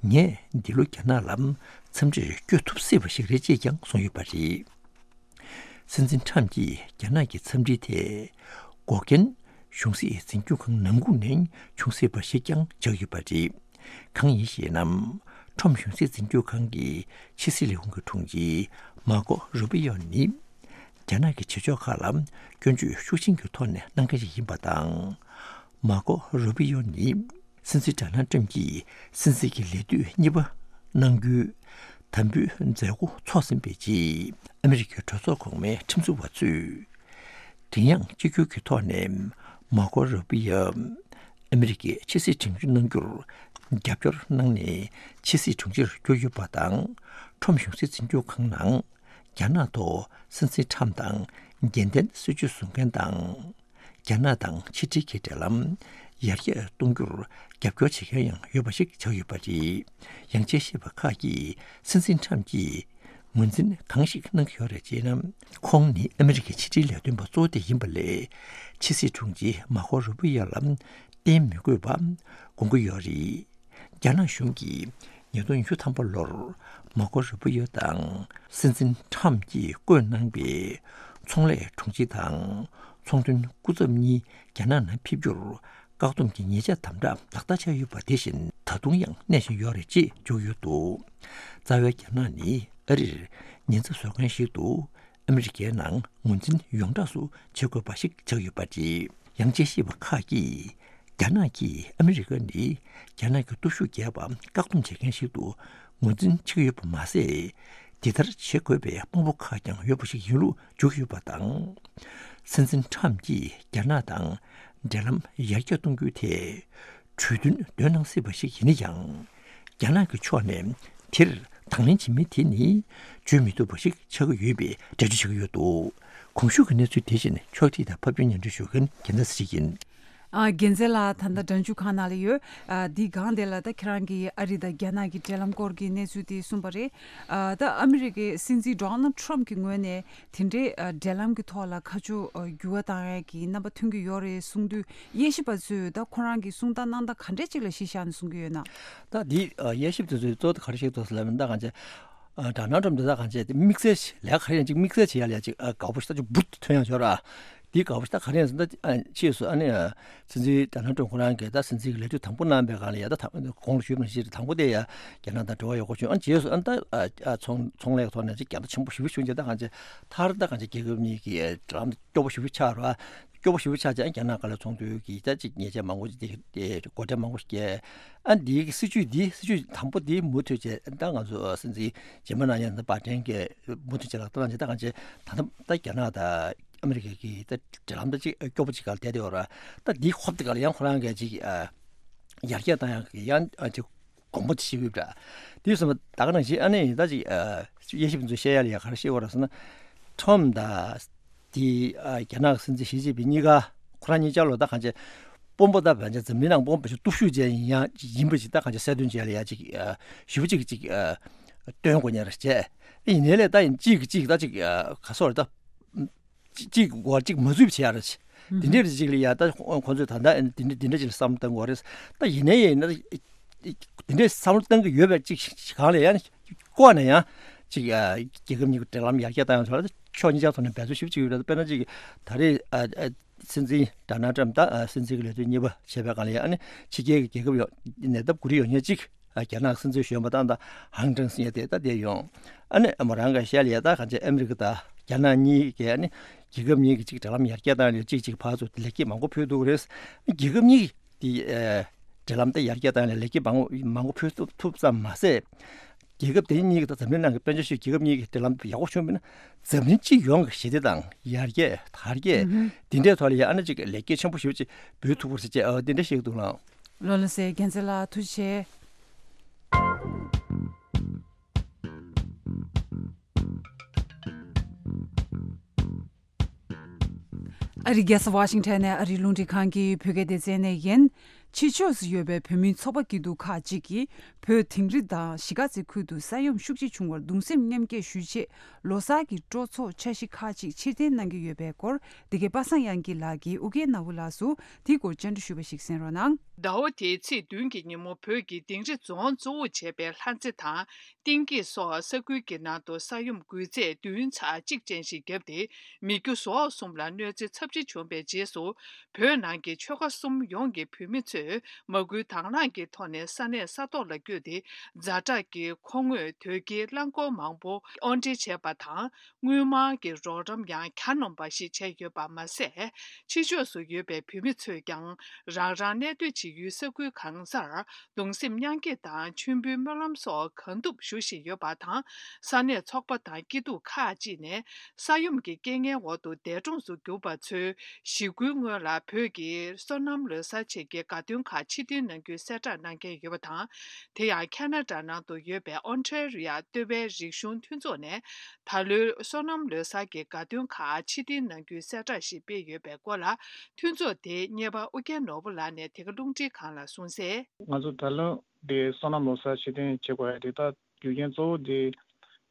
ངས་འདི་ལོ་རྒྱ་ནག་ལ་འཚམས་འདྲིར་བསྐྱོད་ཐུབ་སྲིད་པ་ཞིག་རེད་ཅེས་ཀྱང་གསུངས་ཡོད་པ་རེད། སྲིད་འཛིན་ཁྲམ་གྱིས་རྒྱ་ནག་གི་འཚམས་འདྲིའི་ཐད་འགོག་རྐྱེན་གཞུང་སྲིད་འཛིན་སྐྱོང་ཁང་ནང་ཁུལ་ནས་བྱུང་སྲིད་པ་ཞིག་ཀྱང་ཆགས་ཡོད་པ་རེད། གང་ཡིན་ཞེ་ན། ཁྲོམ་གཞུང་སྲིད་འཛིན་སྐྱོང་ཁང་གི་ཕྱི་སྲིད་ལས་ཁུངས་ཀྱི་དྲུང་ཆེ་མར་ཀོ་རུ་པི་ཡོ་ནི། རྒྱ་ནག་གི་བྱེད་ཕྱོགས་ཁག་ལ་སྐྱོན་བརྗོད་ཤུགས་ཆེན་གྱི་ཐོག་ནས་གནང་མཁན་ཞིག་ཡིན་པ་དང་། མར་ཀོ་རུ་པི་ཡོ་ནི། སྲིད་འཛིན་ཌོ་ནལ་ཏྲམ་གྱིས་སྲིད་འཛིན་གྱི་ལས་དུས་གཉིས་པ་གནང་རྒྱུའི་དམ་འབུལ་མཛད་སྒོ་འཚོགས་ཟིན་པའི་རྗེས། ཨ་མི་རི་ཀའི་གྲོས་ཚོགས་གོང་མའི་ཁྲིམས་བཟོ་བ་ཚོས། བདེན་དབྱངས་གཅིག་གྱུར་གྱི་ཐོག་ནས་མར་ཀོ་རུ་པི་ཡོ། ཨ་མི་རི་ཀའི་ཕྱི་སྲིད་དྲུང་ཆེ་གནང་རྒྱུར་རྒྱབ་སྐྱོར་གནང་ནས་ཕྱི་སྲིད་དྲུང་ཆེར་གྱུར་ཡོད་པ་དང་། ཁྲོམ་གཞུང་སྲིད་འཛིན་སྐྱོང་ཁང་ནང་རྒྱ་ནག་ཐོག་སྲིད་འཛིན་ཁྲམ་དང་འགལ་ལྡན་སྲིད་ཇུས་བཟུང་མཁན་དང་། རྒྱ་ནག་དང་ཕྱི་འབྲེལ་གྱི་འབྲེལ་ལམ་ཡར་རྒྱས་གཏོང་རྒྱུར་རྒྱབ་སྐྱོར་བྱེད་མཁན་ཡང་ཡོད་པ་ཞིག་ཆགས་ཡོད་པ་རེད། ཡང་དཔྱད་ཞིབ་པ་ཁག་གིས་སྲིད་འཛིན་ཁྲམ་གྱིས་ངོས་འཛིན་གང་ཞིག་གནང་གི་ཡོད་རེད་ཅེ་ན། ཁོང་ནི་ཨ་མི་རི་ཀའི་ཕྱི་འབྲེལ་ལས་དོན་པ་གཙོ་བོ་དེ་ཡིན་པ་ལས། ཕྱི་སྲིད་དྲུང་ཆེ་མར་ཀོ་རུ་པི་ཡོ་ལ་བརྟེན་མི་དགོས་པ་དགོངས་ཀྱི་ཡོད་རེད། རྒྱ་ནག་གཞུང་གིས་ཉིས་སྟོང་ཉི་ཤུ་ཐམ་པ་ལོར་མར་ཀོ་རུ་པི་ཡོ་དང་སྲིད་འཛིན་ཁྲམ་གྱིས་བསྐོས་གནང་པའི་ཚོང་ལས་དྲུང་ཆེ་དང་ཚོང་དོན་སྐུ་ཚབ་གཉིས་རྒྱ་ནག་ནང་ཕེབས་རྒྱུར་བཀག་སྡོམ་གྱི་ཉེས་ཆད་དམ་དྲག་ལག་བསྟར་བྱས་ཡོད་པ་དེ་བཞིན་ད་དུང་ཡང་གནས་བཞིན་ཡོད་རེད་ཅེས་བརྗོད་ཡོད་འདུག། རྩ་བའི་རྒྱ་ནག་ནི་ཨ་རིར་ཉེན་ཚབས་བཟོ་མཁན་ཞིག་ཏུ། ཨ་མི་རི་ཀའི་ནང་ངོས་འཛིན་ཡོངས་གྲགས་སུ་བྱེད་དགོས་པ་ཞིག་ཆགས་ཡོད་པ་རེད། ཡང་དཔྱད་ཞིབ་པ་ཁག་གིས། རྒྱ་ནག་གིས་ཨ་མི་རི་ཀ་ནི་རྒྱ་ནག་གི་སྟོབས་ཤུགས་རྒྱས་པ་བཀག་སྡོམ་བྱེད་མཁན་ཞིག་ཏུ་ངོས་འཛིན་བྱེད་ཀྱི་ཡོད་པ་མ་ཟད། དེ་ལྟར་བྱེད་དགོས་པའི་དཔང་པོ་ཁག་ཀྱང་ཡོད་པ་ཞིག་ཡིན་ལུགས་བརྗོད་ཀྱི་ཡོད་པ་དང་། སྲིད་འཛིན་ཁྲམ་གྱིས་རྒྱ་ནག་དང་འབྲེལ་ལམ་ཡར་རྒྱས་གཏོང་རྒྱུའི་ཐད། གྲོས་མཐུན་འདོན་གནང་སྲིད་པ་ཞིག་ཡིན་ན་ཡང་། རྒྱ་ནག་གི་ཕྱོགས་ནས་དེར་དང་ལེན་བྱེད་མིན་དེ་ནི་བརྗོད་མི་ཐུབ་པ་ཞིག་ཆགས་ཀྱི་ཡོད་པའི་འགྲེལ་བརྗོད་བྱེད་ཀྱི་ཡོད་འདུག། གོང་ཞུས་ཀྱི་གནས་ཚུལ་དེ་བཞིན་ཕྱོགས་སྒྲིག་དང་ཕབ་སྒྱུར་སྙན་སྒྲོན་ཞུ་མཁན་རྒྱལ་མཚན་ཚེ་རིང་ཡིན། ཨ། རྒྱལ་མཚན་ལགས། ད་ལྟ་སྒྲ་འཇུག་ཁང་ནང་ལ་ཡོད། ཨ། འདི་སྒང་དེ་ལ་ད་ཁྱེད་རང་གིས་ཨ་རི་དང་རྒྱ་ནག་གི་འབྲེལ་ལམ་སྐོར་གྱི་གནས་ཚུལ་དེ་གསུངས་པ་རེད། ཨ། ད་ཨ་མི་རི་ཀའི་སྲིད་འཛིན་ཌོ་ནལ་ཊམ་གྱི་ངོས་ནས་དེ་འདྲའི་ཨ་འབྲེལ་ལམ་གྱི་ཐོག་ལ་ཁ་ཕྱོགས་ཨ་འགྱུར་བ་བཏང་ཡས་ཀྱི་རྣམ་པ་ཐོན་གྱི་ཡོད་རེད་གསུངས་དུས། དབྱེ་ཞིབ་པ་ཚོས་ད་ཁོ་རང་གི་གསུང་སྟངས་གནང་སྟངས་ག་འདྲས་ཅིག་ལ་གཞི་བཞག་ནས་གསུང་གི་ཡོད་ན། ད་འདི་ཨ་དབྱེ་ཞིབ་དེ་ཚོས་གཙོ་བོ་ག་རེ་བཤད་འདུག་ཟེར་ལབ་ན། ད་གང་བྱས། ཨ། ཌོ་ནལ་ཊམ་འདི་ད་གང་བྱས་དེ་དམིགས་བསལ་ཞིག་ལས་ཀ་ག་རེ་ཡང་ཅིག་དམིགས་བསལ་བྱེད་ཡ་ལས་ཅིག་ཨ་དགའ་པོ་ཞིག་ད་ཅིག་འབུར་དུ་ཐོན་ཡ་ཡོད་ར། འདི་དགའ་པོ་ཞིག་ད་ག་རེ་ཡང་ཟེར་ན། ཨ། ཕྱིས་སུ་ཨ་ནི་ཨ་སྲིད་འཛིན་ཌོ་ནལ་ཊམ་ཁོ་རང་གིས་ད་སྲིད་འཛིན་གྱི་ལས་དུས་དང་པོ་གནང་པའི་སྒང་ལ་ཡ། ད་ད་གོང་ལ་ཞུས་པ་ནང་བཞིན་དང་པོ་དེ་ཡ་རྒྱ་ནག་དང་འབྲེལ་བ་ཡག་པོ་བྱུང་། ཨ་ནི་རྗེས་སུ་ཨ་ནི་ད་ཨ་ཨ་ཚོང་ཚོང་ལས་ཐོག་ནས་ཅིག་རྒྱ་ནག་ཆེན་པོ་ཞེ་པོ་བྱུང་རྗེས། ད་གང་བྱས་མཐར་ད་གང་བྱས་རྒྱལ་ཁབ་གཉིས་ཀྱི་འབྲེལ་ལམ་སྐྱོ་པོ་ཞེ་པོ་ཆགས་ར། སྐྱོ་པོ་ཞེ་པོ་ཆགས་རྗེས་རྒྱ་ནག་སྒང་ལ་ཚོང་དོན་གྱི་ད་ཅིག་ཉེས་ཆད་མང་པོ་ཅིག་དེ་དེ་སྒོ་ཁྲལ་མང་པོ་ཞིག་བཀལ། ཨ་འདིའི་སྲིད་ཇུས་འདི་སྲིད་ཇུས་དང་པོ་འདི་མུ་མཐུད་བྱས། ད་ང་ཚོ་སྲིད་འཛིན་རྗེས་མ་གནང་མཁན་ད་བྷའི་ཌེན་གྱིས་མུ་མཐུད་བྱས་ལག་བསྟར་གནང་རྗེས། ད་གང་བྱས་ད་ད་ད་རྒྱ་ནག་དང་ཨ་མི་རི་ཀ་གི་ད་འབྲེལ་ལམ་ད་ཅིག་སྐྱོ་པོ་ཅིག་སྒང་ལ་བསྡད་དེ་ཡོད་ར། ད་འདི་ཧོབ་དེ་སྒང་ལ་ཡང་ཁོ་རང་གིས་ཅིག་ཨ་ཡར་རྒྱས་བཏང་ཡག་གི་ཡང་ཨ་ཅིག་དགོངས་པ་དེ་བཞེས་ཀྱི་ཡོད་པ་འདྲ། དེ་སོང་ཙང་ད་ག་ནང་བཞིན་ཨ་ནི་ད་ཅིག་ཨ་དབྱེ་ཞིབ་ཚོས་བཤད་ཡ་ལ་ཡ་ག་རེ་བཤད་ཡོད་རེད་ཟེར་ན། ཊམ་དང་དེ་ཨ་རྒྱ་ནག་གི་སྲིད་འཛིན་ཞི་ཅིན་ཕིང་གཉིས་ཀ་ཁོ་རང་གཉིས་ཆ་ལོ་ད་གང་བྱས་དཔོན་པོ་ད་བན་ཆ་འཛམ་གླིང་ནང་དཔོན་པོ་ཞིག་སྟོབས་ཤུགས་ཅན་ཡིན་ཡང་ཡིན་པ་ཞིག་ད་གང་བྱས་གསལ་སྟོན་བྱས་ལ་ཡ་ཅིག་ཨ་ཞུ་བ་ཅིག་ཅིག་ཨ་སྟོན་དགོས་ཉེ་ར་བྱས། ཡིན་ནའི་ལས་ད་ཡིན་གཅིག་གིས་གཅིག་ད་ཅིག་ཨ་ག་སོ་རེད་ད། གཅིག་གཅིག་འགོར་གཅིག་མ་འཛུལ་བྱེད་ཡ་རེད། དེ་འདྲའི་རིགས་ཅིག་ལ་ཡ་ད་ཁོང་ཚོས་ད་ལྟ་དེ་འདྲ་དེ་འདྲ་ཅིག་ལ་བསམ་བློ་གཏང་དགོས་རེད། ད་ཡིན་ནའི་ཡིན་ན་དེ་འདྲའི་བསམ་བློ་གཏང་གི་ཡོད་པའི་ཅིག་གང་ལ་ཡང་ལྐོག་ནས་ཡང་ཅིག་ཨ་རྒྱལ་ཁབ་གཉིས་ཀྱི་འབྲེལ་ལམ་ཡར་རྒྱས་བཏང་ཡོང་ཐོག་ལ་ཕྱོགས་གཉིས་ཆ་ཐོག་ནས་འབད་རྩོལ་ཞེ་པོ་ཅིག་ཡོད་རེད། དཔེར་ན་ཅིག་ད་རེས་ཨ་ཨ་སྲིད་འཛིན་ཌོ་ནལ་ཊམ་ད་ཨ་སྲིད་འཛིན་གྱི་ལས་དོན་གཉིས་པ་བྱས་པའི་སྒང་ལ་ཡང་ཨ་ནི་ཕྱི་རྒྱལ་གྱི་རྒྱལ་ཁབ་ཡོང་ནས་ད་གུ་རེ་ཡོང་མཁན་ཅིག་ཨ་རྒྱ་ནག་སྲིད་འཛིན་གཞོན་པ་དང་ད་ཧང་ཀྲང་སི་ཡ་དེ་ད་དེ་ཡོང་། ཨ་ནི་མོ་རང་ག་ཤལ་ཡ་ད་གང་ཅི་ཨ་མི་རི་ཀ་དང་རྒྱ་ནག་གཉིས་ཀྱི་ཨ་ནི་རྒྱལ་ཁབ་གཉིས་ཀྱི་ཅིག་འབྲེལ་ལམ་ཡར་རྒྱས་བཏང་ནས་ཅིག་ཅིག་ཕར་ཚུར་ལེགས་སྐྱེས་མང་པོ་ཕུལ་འདུག་རེད། རྒྱལ་ཁབ་གཉིས་ཀྱི་དེ་ཨ་འབྲེལ་ལམ་དེ་ཡར་རྒྱས་བཏང་ནས་ལེགས་སྐྱེས་མང་པོ་མང་པོ་ཕུལ་ཐུབ་ཐུབ་ཙམ་མ་ཟད། རྒྱལ་ཁབ་དེ་གཉིས་ཀྱི་ད་འཛམ་གླིང་ནང་གི་དཔལ་འབྱོར་ཤུགས་རྒྱལ་ཁབ་གཉིས་ཀྱི་འབྲེལ་ལམ་དེ་ཡག་པོ་བྱུང་བ་ཡིན་ན། འཛམ་གླིང་སྤྱི་ཡོངས་ཀྱི་ཞི་བདེ་དང་ཡར་རྒྱས་དར་རྒྱས་འདི་འདྲའི་ཐོག་ལ་ཡང་ཨ་ནི་ཅིག་ལེགས་སྐྱེས་ཆེན་པོ་ཞེ་པོ་ཅིག་འབུལ་ཐུབ་པ་རེད་ཅེས་ཨ་འདི་འདྲ་བཤད་ཀྱི་འདུག་ལགས། ལགས་ལགས་སེ། རྒྱལ་མཚན་ལགས་ཐུགས་རྗེ་ཆེ། ཨ་རིའི་རྒྱལ་ས་ཝ་ཤིང་ཊོན་ནས་ཨ་རིའི་རླུང་འཕྲིན་ཁང་གི་བོད་སྐད་སྡེ་ཚན་ནས་ཡིན། ཕྱི་ཕྱོགས་སུ་ཡོད་པའི་བོད་མིའི་ཚོགས་པ་སྐྱིད་སྡུག་ཁག་ཅིག་གིས་བོད་དིང་རི་དང་གཞིས་ཀ་རྩེ་ཁུལ་དུ་ས་ཡོམ་ཤུགས་ཆེ་བྱུང་བར་གདུང་སེམས་མཉམ་སྐྱེད་ཞུ་ཆེད། ལོ་གསར་གྱི་སྤྲོ་ཚོགས་འཆར་གཞི་ཁག་ཅིག་ཕྱིར་འཐེན་གནང་གི་ཡོད་པའི་སྐོར། འདི་གའི་པ་སངས་དབྱངས་སྐྱིད་ལགས་ཀྱིས་ཨུ་རྒྱན་ནོར་བུ་ལགས་སུ་དེའི་སྐོར་བཅར་འདྲི་ཞུས་པ་ཞིག་གསན་རོགས་གནང་། ཟླ་བ་དེའི་ཚེས་བདུན་གྱི་ཉིན་མོ། བོད་ཀྱི་དིང་རི་རྫོང་གཙོ་བོར་བྱས་པའི་ལྷ་རྩེ་དང་། གཏིང་སྐྱེས་སོགས་ས་ཁུལ་གྱི་ནང་དུ་ས་ཡོམ་འགུལ་ཚད་བདུན་ཚེག་གཅིག་ཅན་ཞིག་བརྒྱབ་སྟེ། མི་རྒྱུ་ཟོག་གསུམ་ལ་གནོད་འཚེ་ཚབས་ཆེ་བྱུང་བའི་རྗེས་སུ། བོད་ནང་གི་ཆོལ་ཁ་གསུམ་ཡོངས་ཀྱི་བོད་མི་ཚོས་མ་སྐུལ་དང་བླངས་ཀྱི་ཐོག་ནས་ས་གནས་ས་ཐོག་ལ་བསྐྱོད་དེ། ཛ་དྲག་གི་མཁོ་དངོས་དོས་སྐྱེལ་རླངས་འཁོར་མང་པོ་དབོར་འདྲེན་བྱས་པ་དང་། དངུལ་སྨར་གྱི་རོགས་རམ་ཡང་གྱ་ནོམ་པ་ཞིག་བྱས་ཡོད་པ་མ་ཟད། ཕྱི་ཕྱོགས་སུ་ཡོད་པའི་བོད་མི་ཚོས་ཀྱང་། རང་རང་གནས་སྡོད་བྱེད་ཡུལ་ས་ཁུལ་གང་སར་གདུང་སེམས་མཉམ་སྐྱེད་དང་མཆོད་འབུལ་སྨོན་ལམ་སོགས་གང་ཐུབ་ཞུ་བཞིན་ཡོད་པ་དང་། ས་གནས་ཚོགས་པ་དང་སྐྱིད་སྡུག་ཁག་ཅིག་ནས་ས་ཡོམ་གྱི་རྐྱེན་ངན་འོག་ཏུ་འདས་གྲོངས་སུ་གྱུར་པ་ཚོའི་ཞི་རྒོལ་སྔོན་ལ་བོད་ཀྱི་སོ་ནམ་ལོ་གསར་ཆེད་ཀྱི་དགའ་སྟོན་ཁག་ཕྱིར་འཐེན་གནང་རྒྱུའི་གསལ་བསྒྲགས་གནང་མཁན་ཡོད་པ་དང་། དེ་ཡང་ཁ་ན་ཌ་ནང་དུ་ཡོད་པའི་ཨོན་ཊ་རི་ཡ་ལྟེ་བའི་རིག་གཞུང་མཐུན་ཚོགས་ནས། ད་ལོའི་སོ་ནམ་ལོ་གསར་གྱི་དགའ་སྟོན་ཁག་ཕྱིར་འཐེན་གནང་རྒྱུའི་གསལ་བསྒྲགས་ཤིག་སྤེལ་ཡོད་པའི་སྐོར་ལ། མཐུན་ཚོགས་དེའི་གཉེར་པ་ཨུ་རྒྱན་ནོར་བུ་ལགས་ནས་དེ་ག་རླུང་འཕྲིན་ཁང་ལ་གསུངས་གསལ། ང་ཚོ་ད་ལོ་འདི་སོ་ནམ་ལོ་གསར་ཕྱིར་འཐེན་བྱེད་དགོས་ཡ་དེ་ད་རྒྱུ་རྐྱེན་གཙོ་བོ་དེ་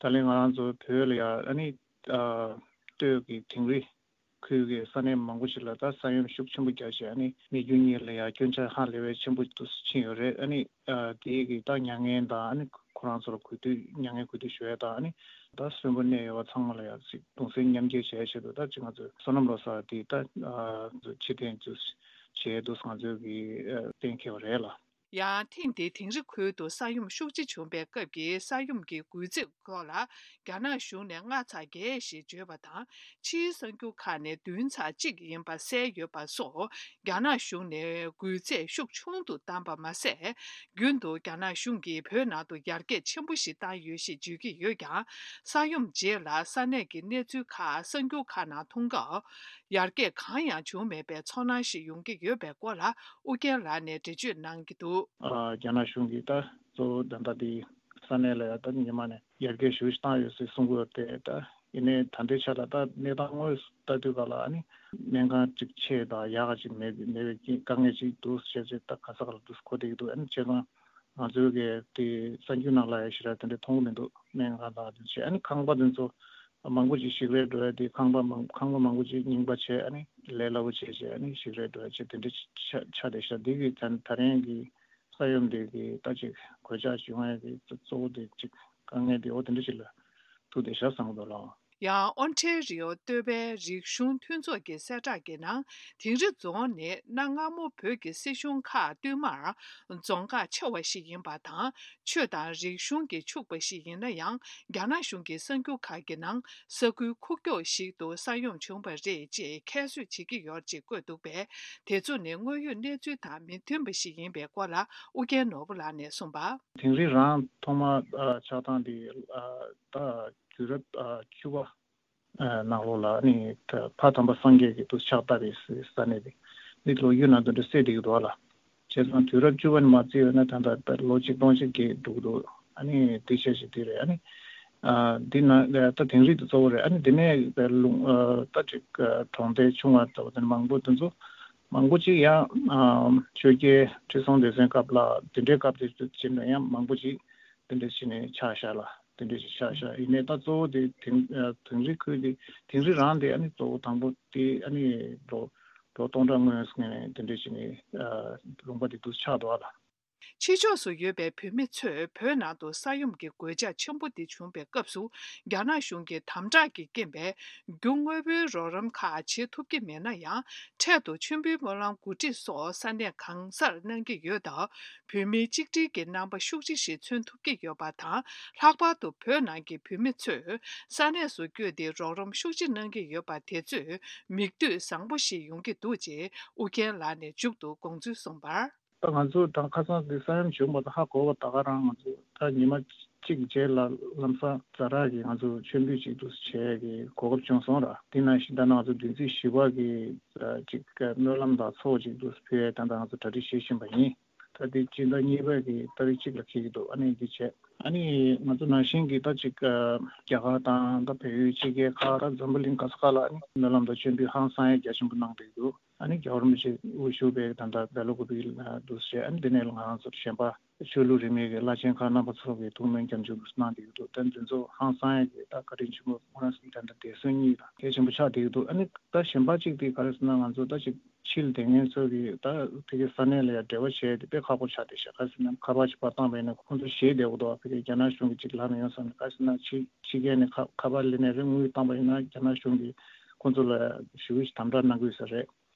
ད་ལན་ང་རང་ཚོ་བོད་ལ་ཡ་ཨ་ནི་ཨ་སྟོད་ཀྱི་དིང་རི་ཁུལ་གྱི་ས་གནས་མང་པོ་ཞིག་ལ་ད་ས་ཡོམ་ཤུགས་ཆེན་པོ་བརྒྱབ་བྱས། ཨ་ནི་མི་རྒྱུ་གཉིས་ལ་ཡ་སྐྱོན་ཆ་ཧ་ལས་པའི་ཆེན་པོ་དུ་ཕྱིན་ཡོད་རེད། ཨ་ནི་ཨ་དེའི་གི་ད་མྱ་ངན་དང་། ཨ་ནི་ཁོ་རང་ཚོར་གུས་འདུད་མྱ་ངན་གུས་འདུད་ཞུ་ཡ་དང་། ཨ་ནི་ད་གསོན་པོ་གནས་ཡོད་པ་ཚང་མ་ལ་ཡ་ཅིག་གདུང་སེམས་མཉམ་སྐྱེད་བྱེད་ཡ་ཆེད་དུ་ད་ཅིག་ང་ཚོས་སོ་ནམ་ལོ་གསར་དེ་ད་ཨ་ཕྱིར་འཐེན་ཅིག་བྱེད་འདུག་ང་ཚོས་གི་ཨ་གཏན་འཁེལ་བ་རེད་ལ། ཡང་ཐེངས་འདིའི་དིང་རི་ཁུལ་དུ་ས་ཡོམ་ཤུགས་ཆེ་བྱུང་བའི་སྐབས་ཀྱི་ས་ཡོམ་གྱི་འགུལ་ཚད་སྐོར་ལ། རྒྱ་ནག་གཞུང་ནས་ལྔ་ཚེག་བརྒྱད་ཞེས་བརྗོད་པ་དང་། ཕྱིའི་གསར་འགྱུར་ཁག་ནས་བདུན་ཚེག་གཅིག་ཡིན་པ་གསལ་ཡོད་པ་སོགས། རྒྱ་ནག་གཞུང་ནས་འགུལ་ཚད་ཤུགས་ཆུང་དུ་བཏང་པ་མ་ཟད། རྒྱུན་དུ་རྒྱ་ནག་གཞུང་གིས་བོད་ནང་དུ་ཡར་རྒྱས་ཆེན་པོ་ཞིག་བཏང་ཡོད་ཞེས་བརྗོད་ཀྱི་ཡོད་ཀྱང་། ས་ཡོམ་རྗེས་ལ་ས་གནས་ཀྱི་གནས་ཚུལ་ཁག་གསར་འགྱུར་ཁག་ནང་མཐོང་སྐབས། ཡར་རྒྱས་གང་ཡང་བྱུང་མེད་པའི་ཚོར་སྣང་ཞིག་ཡོང་གི་ཡོད་པའི་སྐོར་ལ་ཨུ་རྒྱན་ལགས་ནས་འགྲེལ་བརྗོད་གནང་གི་འདུག། ཨ་རྒྱ་ནག་གཞུང་གིས་ད་གཙོ་བོ་ད་ལྟ་དེ་ས་གནས་ལ་ཡ་ད་ཉི་མ་ནས་ཡར་རྒྱས་ཞེ་པོ་ཞིག་བཏང་ཡོད་ཟེར་གསུང་གི་ཡོད་དེ། ད་ ཡིན་ནའི་ད་ལྟའི་ཆ་ལ་ད་གནས་སྟངས་དངོས་སུ་ལྟ་དུས་ག་ལ་ཨ་ནི་སྨན་ཁང་གཅིག་ཆེ་དང་ཡག་ག་ཅིག་མེད་མེད་པའི་དཀའ་ངལ་ཅིག་འདུག་ཟེར་ཅིག་ད་ག་ས་ག་ལ་འདུག་གོ་བསྡད་ཀྱི་འདུག་ཨ་ནི་བྱས་ཙང་ང་ཚོའི་གི་དེ་གསར་འགྱུར་ནང་ལ་ཡང་ཞེ་དྲག་དེ་འདྲ་མཐོང་གི་མི་འདུག་སྨན་ཁང་དང་དེ་བྱས་ཨ་ནི་ཁང་པ་དེ་ཚོ་མང་པོ་ཅིག་ཞིག་རལ་འགྲོ་ཡ་དེ་ཁང་པ་མང་ཁང་པ་མང་པོ་ཅིག་རྙིང་པ་བྱས་ཨ་ནི་ལས་སླ་པོ་བྱས་བྱས་ཨ་ནི་ཞིག་རལ་འགྲོ་ཡ་བྱས་དེ་འདྲ་ཆགས་ཆགས་བསྡད་ཤག་འདི་གི་ད་ད་རིང་གི་ས་ཡོམ་དེ་གི་ད་ཅིག་གོད་ཆག་བྱུང་ཡ་གི་གཙོ་བོ་དེ་ཅིག་དཀའ་ངལ་དེ་འོ་དེ་འདྲ་ཅིག་ལ་ཐུག་བསྡད་ཤག་བསམ་གི་འདུག་ལགས། ཡང་ཨོན་ཊེ་རི་ཡོ་སྟོད་པའི་རིག་གཞུང་མཐུན་ཚོགས་ཀྱི་གསལ་བསྒྲགས་ཀྱི་ནང་དིང་རི་རྫོང་ནི་གནའ་སྔ་མོ་བོད་ཀྱི་སྲིད་གཞུང་ཁག་བསྟུད་མར་རྫོང་ཁག་ཆེ་བ་ཞིག་ཡིན་པ་དང་ཆོས་དང་རིག་གཞུང་གིས་ཕྱུག་པ་ཞིག་ཡིན་ན་ཡང་རྒྱ་ནག་གཞུང་གི་གསར་འགྱུར་ཁག་གི་ནང་ས་ཁུལ་ཁུག་ཀྱོག་ཞིག་ཏུ་ས་ཡོམ་བྱུང་བ་རེད་ཅེས་ཁྱད་གསོད་བྱེད་ཀྱི་ཡོད་ཅེས་བཀོད་འདུག་པས་དེ་ཚོ་ནི་དངོས་ཡོད་གནས་ཚུལ་དང་མི་མཐུན་པ་ཞིག་ཡིན་པའི་སྐོར་ལ་ཨུ་རྒྱན་ནོར་བུ་ལགས་ནས་གསུངས་པ། དིང་རི་རང་ཐོག་མ་ཨ་ཆགས་སྟངས་དེ་ཨ་ད་དུས་རབས་ཨ་བཅུ་པ་ཨ་ནང་ལོགས་ལ་ནི་ད་ཕ་དམ་པ་སངས་རྒྱས་ཀྱིས་དུ་ཕྱག་བཏབ་པའི་ས་གནས་དེ་འདི་ལོ་རྒྱུས་ནང་དུ་འདྲ་གསལ་བསྡད་ཀྱི་འདུག་ལ། བྱས་ཙང་དུས་རབས་བཅུ་པ་ནས་མ་བརྩིས་ཡོད་ན་ད་ལྟ་ལོ་ཆིག་སྟོང་ཞིག་བརྒལ་འགྲོ་གི་འདུག་ཨ་ནི་དེ་ཆ་ཞིག་དེ་རེད། ཨ་ནི་ཨ་འདི་ན་ད་དིང་རི་དེ་གཙོ་བོ་རེད། ཨ་ནི་དེ་ནས་ལུང་ཨ་ད་ཅིག་ཨ་གྲོང་རྡལ་ཆུང་བ་ལྟ་བུ་དེ་མང་པོ་དེ་ཚོ་མང་པོ་ཅིག་ཡང་ཨ་ཆོས་རྒྱལ་ཁྲི་སྲོང་ལྡེ་བཙན་སྐབས་ལ་དེ་འདྲའི་སྐབས་དེ་ཚོ་ཕྱིན་ན་ཡང་མང་པོ་ཅིག་དེ་འདྲ་བྱས་ནས་ཆགས་ཤག་ལ་དེ་འདྲ་ཞིག་ཆགས་ཤག་ཡིན་ནའི་ད་གཙོ་བོ་དེ་དིང་ཨ་དིང་རི་ཁུལ་དེ་དིང་རི་རང་དེ་ཨ་ནི་གཙོ་བོ་དང་པོ་དེ་ཨ་ནི་ལོ་ལོ་སྟོང་ཕྲག་སྔོན་ནས་དེ་འདྲ་བྱས་ནས་ཨ་ལུང་པ་དེ་འདུག་ཆགས་འདུག་ཨ་ལ། ཕྱི་ཕྱོགས་སུ་ཡོད་པའི་བོད་མི་ཚོས་བོད་ནང་དུ་ས་ཡོམ་གྱི་གོད་ཆག་ཆེན་པོ་དེ་བྱུང་བའི་སྐབས་སུ་རྒྱ་ནག་གཞུང་གིས་དམ་དྲག་གི་རྐྱེན་པས་རྒྱུ་དངོས་པོའི་རོགས་རམ་ཁག་བྱེད་ཐུབ་ཀྱི་མེད་ན་ཡང་། འཕྲལ་དུ་མཆོད་འབུལ་སྨོན་ལམ་གོ་སྒྲིག་སོགས་ས་གནས་གང་སར་གནང་གི་ཡོད་སྟབས། བོད་མིའི་གཅིག་སྒྲིལ་གྱི་རྣམ་པ་ཤུགས་ཆེ་ཞིག་མཚོན་ཐུབ་ཀྱི་ཡོད་པ་དང་། ལྷག་པར་དུ་བོད་ནང་གི་བོད་མི་ཚོས་ས་གནས་སུ་བསྐྱོད་དེ་རོགས་རམ་ཤུགས་ཆེ་གནང་གི་ཡོད་པ་དེ་ཚོས་མིག་ལྟོས་བཟང་པོ་ཞིག་ཡོང་གི་འདུག་ཅེས་ཨུ་རྒྱན་ལགས་ནས་མཇུག་ཏུ་དགོངས་ཚུལ་གསུངས་པར། ད་ང་ཚོ་དང་ཁ་སང་འདི་ས་ཡོམ་བྱུང་བ་དང་ཧ་གོ་བ་ད་ག་རང་ང་ཚོ་ད་ཉི་མ་གཅིག་རྗེས་ལ་ལམ་སང་ཛ་དྲག་གི་ང་ཚོ་མཆོད་འབུལ་ཅིག་ཏུ་བྱས་ཀྱི་གོ་སྐབས་བྱུང་སོང་ར། དེ་ནང་བཞིན་ད་ང་ཚོ་བདུན་ཚིགས་བཞི་པ་གི་ཅིག་སྨོན་ལམ་དང་ཚོགས་ཅིག་ཏུ་ཕུལ་ཡས་ད་ལྟ་ང་ཚོ་གྲ་སྒྲིག་བྱེད་བཞིན་པ་ཡིན། ད་དེ་སྤྱི་ཟླ་གཉིས་པ་གི་ཏ་རིག་གཅིག་ལ་འཁེལ་གྱི་འདུག་ཨ་ནི་འདི་བྱས་ཨ་ནི་ང་ཚོ་ནང་བཞིན་གྱི་ད་ཅིག་རྒྱ་གར་དང་ད་བལ་ཡུལ་ཕྱི་རྒྱལ་ཁག་ད་འཛམ་བུ་གླིང་ག་ས་ག་ལ་ཨ་ནི་སྨོན་ལམ་དང་མཆོད་འབུལ་ཧང་སང་ཡས་རྒྱ་ཆེན་པོ་གནང་བསྡད་ཀྱི་འདུག་ཨ་ནི་རྒྱལ་བ་རིན་པོ་ཆེ་དབུ་བཞུགས་པའི་ད་ལྟ་སྦེལ་ཀོབ་ལ་འདུག་ཟེར། ཨ་ནི་འདི་ནས་ང་རང་ཚོར་གཞན་པ་ཆོས་ལུགས་རིས་མེད་ཀྱི་བླ་ཆེན་ཁག་རྣམ་པ་ཚོ་གིས་ཐུགས་སྨོན་སྐྱབས་འཇུག་གནང་བསྡད་ཀྱི་འདུག་ད་འདི་ཚོ་ཧང་སང་ཡས་ཀྱི་ད་བཀའ་དྲིན་ཆེན་པོ་སྨོན་ལམ་ཟེར་ད་ལྟ་འདས་གསོལ་གཉིས་ལ་གལ་ཆེན་པོ་ཆགས་བསྡད་ཀྱི་འདུག་ཨ་ནི་ད་གཞན་པ་གཅིག་དེ་ག་རེ་ཟེར་ན་ང་ཚོ་ད་ཅིག་ཕྱིར་དེ་ངན་ཚོ་གིས་ད་ཕ་གི་ས་གནས་ལ་ཡང་འབྲེལ་བ་བྱས་ཏེ་དཔེ་ཁག་པོ་ཆགས་བསྡད་ཤག་ག་རེ་ཟེར་ན་ཁ་པར་ཅིག་ཕར་བཏང་བ་ཡིན་ན་ཁོང་ཚོ་ཞེད་བསྡད་ཡོད་འདུག་ཕ་གི་རྒྱ་ནག་གཞུང་གིས་ཅིག་ལབ་ནས་ཡོང་བསམ་ནས། ག་རེ་ཟེར་ན་ཕྱི་ཕྱི་རྒྱལ་ནས་ཁ་ཁ་པར་སླེབས་ནས་རེད། དངུལ་བཏང་བ་ཡིན་ན་རྒྱ་ནག་གཞུང་གིས་ཁོང་ཚོ་ལ་ཞེ་པོ་ཞིག་དམ་དྲག་གནང་གི་ཡོད་ས་རེད།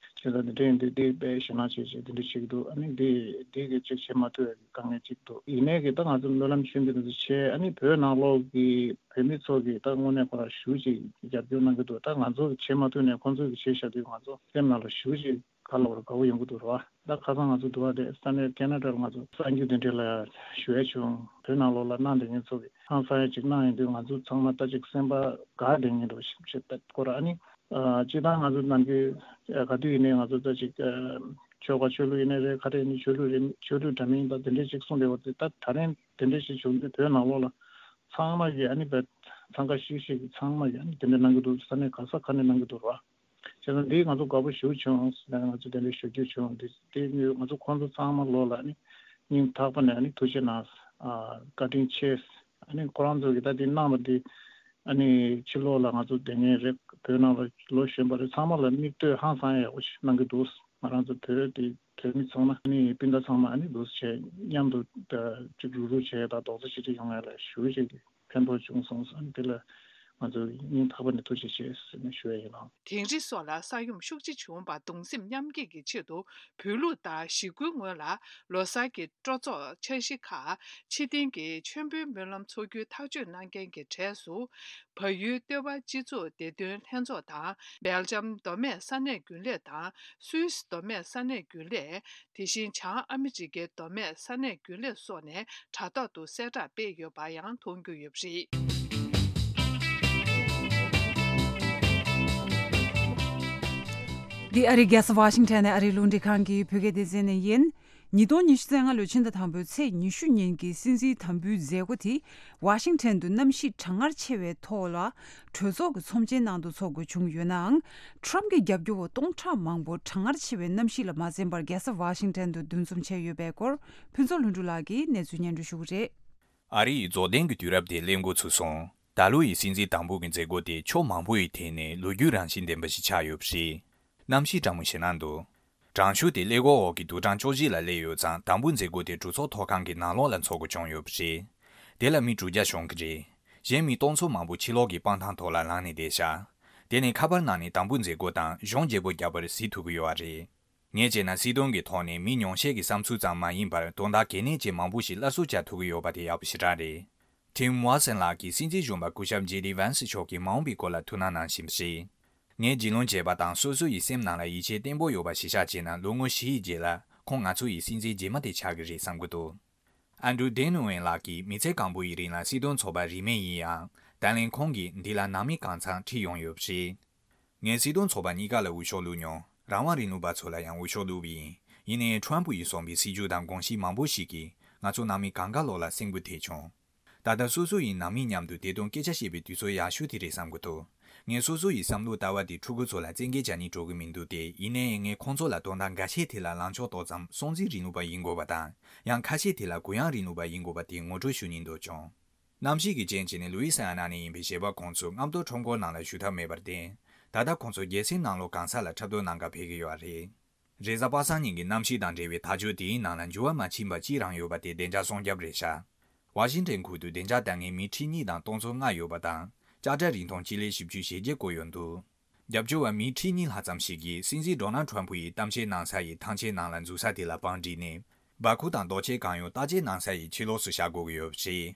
བྱས་ཙང་འདི་འདྲ་ཡིན་དུས་འདི་དཔེ་ཞེད་སྣང་བྱེད་བྱེད་འདི་འདྲ་བྱེད་ཀྱི་འདུག་ཨ་ནི་འདི་འདི་གི་ཅིག་བྱེད་མ་ཐུབ་པའི་དཀའ་ངལ་ཅིག་འདུག་ཡིན་ནའི་གི་ད་ང་ཚོ་སྨོན་ལམ་མཆོད་འབུལ་འདི་ཚོ་བྱས། ཨ་ནི་བོད་ནང་ལོགས་ཀྱི་བོད་མི་ཚོ་གིས་ད་དངོས་གནས་ཁོ་རང་ཞེ་པོ་ཅིག་རྒྱབ་སྐྱོར་གནང་གི་འདུག་ད་ང་ཚོ་གིས་བྱེད་མ་ཐུབ་ནའི་ཁོང་ཚོ་གིས་བྱས་བཞག་དུས་ང་ཚོ་སེམས་ནང་ལ་ཞེ་པོ་ཅིག་ག་ལབ་དགོས་རེད། དགའ་པོ་ཡོང་གི་འདུག་རེད་བ། ད་ཁ་སང་ང་ཚོ་འདི་བ་དེ་ས་གནས་ཁེ་ན་ཌ་ལ་ང་ཚོ་གསར་འགྱུར་དེ་འདྲ་ལ་ཞུ་ཡས་བྱུང་། བོད་ནང་ལོགས་ལ་གནང་བསྡད་མཁན་ཚོ་གིས་ཧང་སང་ཡས་ཅིག་གནང་ཡོང་དུས་ང་ཚོ་ཚང་མ་ད་ཅིག་སེམས་པ་དགའ་བསྡད་མཁན་འདྲ་བོ་ཞིག་བྱེད་པའི་སྐོར། ཨ་ནི་ཨ་སྤྱིར་བཏང་ང་ཚོ་ནམ་རྒྱུན་ཨ་ག་དུས་ཡིན་ནའི་ང་ཚོ་ད་ཅིག་ཨ་ཆོལ་ཁ་ཆོས་ལུགས་ཡིན་ནའི་རེད། ག་རེ་ཡིན་ནའི་ཆོས་ལུགས་རེད། ཆོས་ལུགས་འདྲ་མིན་དང་དེ་འདྲས་ཅིག་གསུངས་བསྡད་པ་དེ་ད་ད་རིང་དེ་འདྲས་ཞིག་བྱུང་དུས་བོད་ནང་ལོགས་ལ་ཚང་མ་གིས་ཨ་ནི་བས་འཚང་ཁ་ཤིག་ཤིག་གིས་ཚང་མ་གིས་ཨ་ནི་དེ་འདྲས་གནང་གི་འདུག་ས་གནས་ག་ས་ག་ནས་གནང་གི་འདུག་རེད་བ། བྱས་ཙང་འདིས་ང་ཚོ་དགའ་པོ་ཞེ་པོ་བྱུང་ཟེར་ནས་ང་ཚོ་དེ་འདྲ་ཞུ་རྒྱུ་བྱུང་། འདི་དེ་ནི་ང་ཚོ་ཁོང་ཚོ་ཚང་མ་ལོགས་ལ་ནི་སྙིང་ཐག་པ་ནས་ནི་ཐུགས་རྗེ་གནང་། ཨ་བཀའ་དྲིན་ཆེ། ཨ་ནི་ཁོ་རང་ཚོ་གིས་ད་འདི་གནང་བ་འདི་ཨ་ནི་ཕྱི་ལོགས་ལ་ང་ཚོ་སྡོད་མཁན་རེད། བོད་ནང་ལ་ལོ་གཞོན་པ་རེད། ཚང་མ་ལ་མིག་ལྟོས་ཧང་སང་ཡག་པོ་ཞིག་གནང་གི་འདུག་ང་རང་ཚོ་བོད་དེ་བོད་མི་ཚང་མ་ཨ་ནི་སྤུན་ཟླ་ཚང་མ་ཨ་ནི་འདུག་བྱས་མཉམ་དུ་ཅིག་རུག་རུག་བྱས་དང་རྡོག་རྩ་གཅིག་སྒྲིལ་ཡོང་ཡ་ལ་ཞུ་ཞིག་གི་ཕན་ཐོགས་བྱུང་སོང་ཟེར། དེ་ལ་ང་ཚོས་སྙིང་ཐག་པ་ནས་ཐུགས་རྗེ་ཆེ་ཟེར་ནས་ཞུ་ཡ་ཡིན་ལགས། དིང་རི་སོགས་ལ་ས་ཡོམ་ཤུགས་ཆེ་བྱུང་བར་གདུང་སེམས་མཉམ་སྐྱེད་ཀྱི་ཆེད་དུ་བོད་ལུགས་ལྟར་གཞིས་ཁུལ་ངོས་ལ་ལོ་གསར་གྱི་སྤྲོ་ཚོགས་འཆར་གཞི་ཁག་ཕྱི་རྟེན་གྱི་མཆོད་འབུལ་སྨོན་ལམ་འཚོགས་རྒྱུའི་ཐག་གཅོད་གནང་མཁན་གྱི་གྲས་སུ། བལ་ཡུལ་སྟོད་པ་སྤྱི་ཚོགས་བདེ་དོན་ལྷན་ཚོགས་དང་། སྦེལ་ཇམ་མདོ་སྨད་ས་གནས་རྒྱུན་ལས་དང་། སུད་སི་མདོ་སྨད་ས་གནས་རྒྱུན་ལས། དེ་བཞིན་བྱང་ཨ་མི་རི་ཀའི་མདོ་སྨད་ས་གནས་རྒྱུན་ལས་སོགས་ནས་དྲ་ཐོག་ཏུ་གསལ་བསྒྲགས་སྤེལ་ཡོད་པ་ཡང་མཐོང་རྒྱུ་ཡོད་པ་རེད། འདི་ཨ་རིའི་རྒྱལ་ས་ཝ་ཤིང་ཊོན་ནས་ཨ་རིའི་རླུང་འཕྲིན་ཁང་གི་བོད་སྐད་སྡེ་ཚན་ནས་ཡིན། ཉིས་སྟོང་ཉི་ཤུ་རྩ་ལྔ་ལོའི་ཕྱི་ཟླ་དང་པོའི་ཚེས་ཉི་ཤུ་ཉིན་གྱི་སྲིད་འཛིན་དམ་འབུལ་མཛད་སྒོ་དེ་ཝ་ཤིང་ཊོན་དུ་གནམ་གཤིས་གྲང་ངར་ཆེ་བའི་ཐོག་ལ་གྲོས་ཚོགས་ཀྱི་ཚོམས་ཆེན་ནང་དུ་འཚོགས་དགོས་བྱུང་ཡོད་ནའང་། ཊྲམ་གྱི་རྒྱབ་སྐྱོར་བ་སྟོང་ཕྲག་མང་པོ་གྲང་ངར་ཆེ་བའི་གནམ་གཤིས་ལ་མ་འཛེམས་པར་རྒྱལ་ས་ཝ་ཤིང་ཊོན་དུ་འདུ་འཛོམས་བྱས་ཡོད་པའི་སྐོར་ཕུན་ཚོགས་ལྷུན་གྲུབ་ལགས་ཀྱིས་གནས་ཚུལ་སྙན་སྒྲོན་ཞུ་གི་རེད། ཨ་རི་ཡི་རྫོགས་ལྡན་གྱི་དུས་རབས་དེ་སླེབས་འགོ་ཚུགས་སོང་། ད་ལོ་ཡི་སྲིད་འཛིན་དང་པོ་གི་མཛད་སྒོ་དེ་ཕྱོགས་མང་པོ་ཡི་ཐད་ནས་ལོ་རྒྱུས་རང་བཞིན་ལྡན་པ་ཞིག་ཆགས་ཡོད་པ་རེད། གནམ་གཤིས་གྲང་མོ་ཞེད་སྣང་འདུག་གྲང་ཤུགས་དེ་ཀླད་ཀོར་འོག་གི་དུག་གྲང་བཅུ་བཞི་ལ་སླེབས་ཡོད་ཙང་། དང་པོ་མཛད་སྒོ་དེ་གྲོས་ཚོགས་ཐོག་ཁང་གི་ནང་ལོགས་ལ་འཚོགས་དགོས་བྱུང་ཡོད་པ་རེད། དེ་ལ་མི་དྲུག་བརྒྱ་ཤོང་གི་རེད། གཞན་མི་སྟོང་ཚོ་མང་པོ་ཕྱི་ལོགས་ཀྱི་སྤང་ཐང་ཐོག་ལ་ལངས་ནས་བསྡད་ཤག་དེ་ནས་ཁ་པར་ནང་ནས་དང་པོ་མཛད་སྒོ་དང་གཞུང་བརྗེ་པོ་བརྒྱབ་པར་གཟིགས་ཐུབ་ཀྱི་ཡོད་པ་རེད། ངས་བྱས་ན་སྲིད་དོན་གྱི་ཐོག་ནས་མི་ཉུང་ཤས་ཀྱི་བསམ་ཚུལ་ཙམ་མ་ཡིན་པར་དོན་དག་གལ་གནད་ཅན་མང་པོ་ཞིག་སླར་གསོ་བྱ་ཐུབ་ཀྱི་ཡོད་པ་དེ་ཡག་པོ་ཞེ་དྲག་རེད། ཊིམ་ཝ་སན་ལགས་ཀྱིས་སྲིད་འཛིན་གཞོན་པ་སྐུ་ཞབས་ཇེ་ཌི་ཝན་སི་མཆོག་གི་མ་འོངས་པའི་སྐོར་ལ་ཐུགས་སྣང་གནང་བཞིན་པ་རེད། ངས་རྒྱུས་ལོན་བྱས་པ་དང་སོ་སོ་ཡི་སེམས་ནང་ལ་ཡིད་ཆེས་བརྟན་པོ་ཡོད་པ་གཞི་བཞག་བྱས་ན། ལོ་ངོ་བཞི་ཡི་རྗེས་ལ་ཁོང་ང་ཚོ་ཡི་སྲིད་འཛིན་རྗེས་མ་དེ་ཆགས་ཀྱི་རེད་བསམ་གྱི་འདུག་ཨན་ཌྲུ་ཌེ་ནུ་ཝན་ལགས་ཀྱིས་མི་ཚེ་གང་པོ་ཡི་རིང་ལ་སྲིད་དོན་ཚོགས་པ་རིས་མེད་ཡིན་ཡང་། ད་ལན་ཁོང་གིས་འདི་ལ་ནང་མི་གང་ཚང་ཁྲིད་ཡོང་ཡོད་པ་རེད། ངས་སྲིད་དོན་ཚོགས་པ་གཉིས་ཀ་ལ་འོས་ཤོག་བླུགས་མྱོང་། རང་དབང་རིང་ལུགས་པ་ཚོ་ལ་ཡང་འོས་ཤོག་བླུགས་པ་ཡིན། ཡིན་ནའི་ཊྲམ་ཕུ་ཡིས་བཟུང་བའི་སྲིད་ཇུས་དང་དགོངས་གཞི་མང་པོ་ཞིག་གིས་ང་ཚོ་ནང་མི་གང་ག་ལོག་ལ་སེམས་འགུལ་ཐེབས་བྱུང་། ད་ལྟ་སོ་སོ་ཡི་ནང་མི་མཉམ་དུ་བདེ་དོན་སྐད་ཆ་བཤད་པའི་དུས་ཚོད་ཡག་ཤོས་དེ་རེད་བསམ་གྱི་འདུག་ངས་སོ་སོ་ཡི་བསམ་བློ་ལྟ་བ་དེ་ཕྲུ་གུ་ཚོ་ལ་བཙན་འགེལ་བྱ་སྙིང་བྲོ་གི་མི་འདུག་སྟེ། ཡིན་ནའི་ངས་ཁོང་ཚོ་ལ་དོན་དག་འགའ་ཤས་དེ་ལ་ལངས་ཕྱོགས་ཏོག་ཙམ་སྲོང་བཙན་རིང་ལུགས་པ་ཡིན་དགོས་པ་དང་། ཡང་ཁ་ཤས་དེ་ལ་གུ་ཡངས་རིང་ལུགས་པ་ཡིན་དགོས་པ་དེ་ངོ་སྤྲོད་ཞུ་སྙིང་འདོད་བྱུང་། གནམ་གཤིས་ཀྱི་རྐྱེན་བྱས་ནས་ལུའི་སི་ཨ་ན་ནས་ཡིན་པའི་གཞས་པ་ཁོང་ཚོས་རྔམ་སྟོན་ཁྲོམ་སྐོར་ནང་ལ་ཞུགས་ཐབས་མེད་པར་བརྟེན། ད་ལྟ་ཁོང་ཚོ་རྒྱལ་སའི་ནང་ལོགས་གང་ས་ལ་འཁྲབ་སྟོན་གནང་གར་ཕེབས་ཀྱི་ཡོད་པ་རེད། རེས་གཟའ་པ་སངས་ཉིན་གྱི་གནམ་གཤིས་དང་འབྲེལ་བའི་ཐག་གཅོད་དེའི་ནང་ལ་འགྱུར་བ་མ་ཕྱིན་པ་གཅིག་རང་ཡོད་པ་དེ་བདེ་འཇགས་སྲུང་སྐྱོབ་རེད་ཤག་ཝ་ཤིང་ཊོན་ཁུལ་དུ་བདེ་འཇགས་ལྟ་མཁན་མི་ཁྲི་གཉིས་དང་སྟོང་ཚོ་ལྔ་ཡོད་པ་དང་། ལྕགས་དྲ་རིང་ཐུང་སྤྱི་ལེ་བཞི་བཅུ་ཞེ་བརྒྱད་བསྐོར་ཡོད་འདུག་རྒྱབ་སྐྱོར་བ་མི་ཁྲི་གཉིས་ལྷག་ཙམ་ཞིག་གིས་སྲིད་འཛིན་ཌོ་ནལ་ཊམ་ཕུ་ཡི་གཏམ་བཤད་གནང་ས་ཡི་ཐང་ཆེན་ནང་ལ་འཛུལ་ས་དེ་ལ་བང་བསྒྲིགས་ནས། སྦ་ཁུག་དང་རྡོ་ཆས་གང་ཡོང་བརྟག་དཔྱད་གནང་ས་ཡི་ཕྱི་ལོགས་སུ་བཞག་དགོས་ཀྱི་ཡོད་པ་རེད།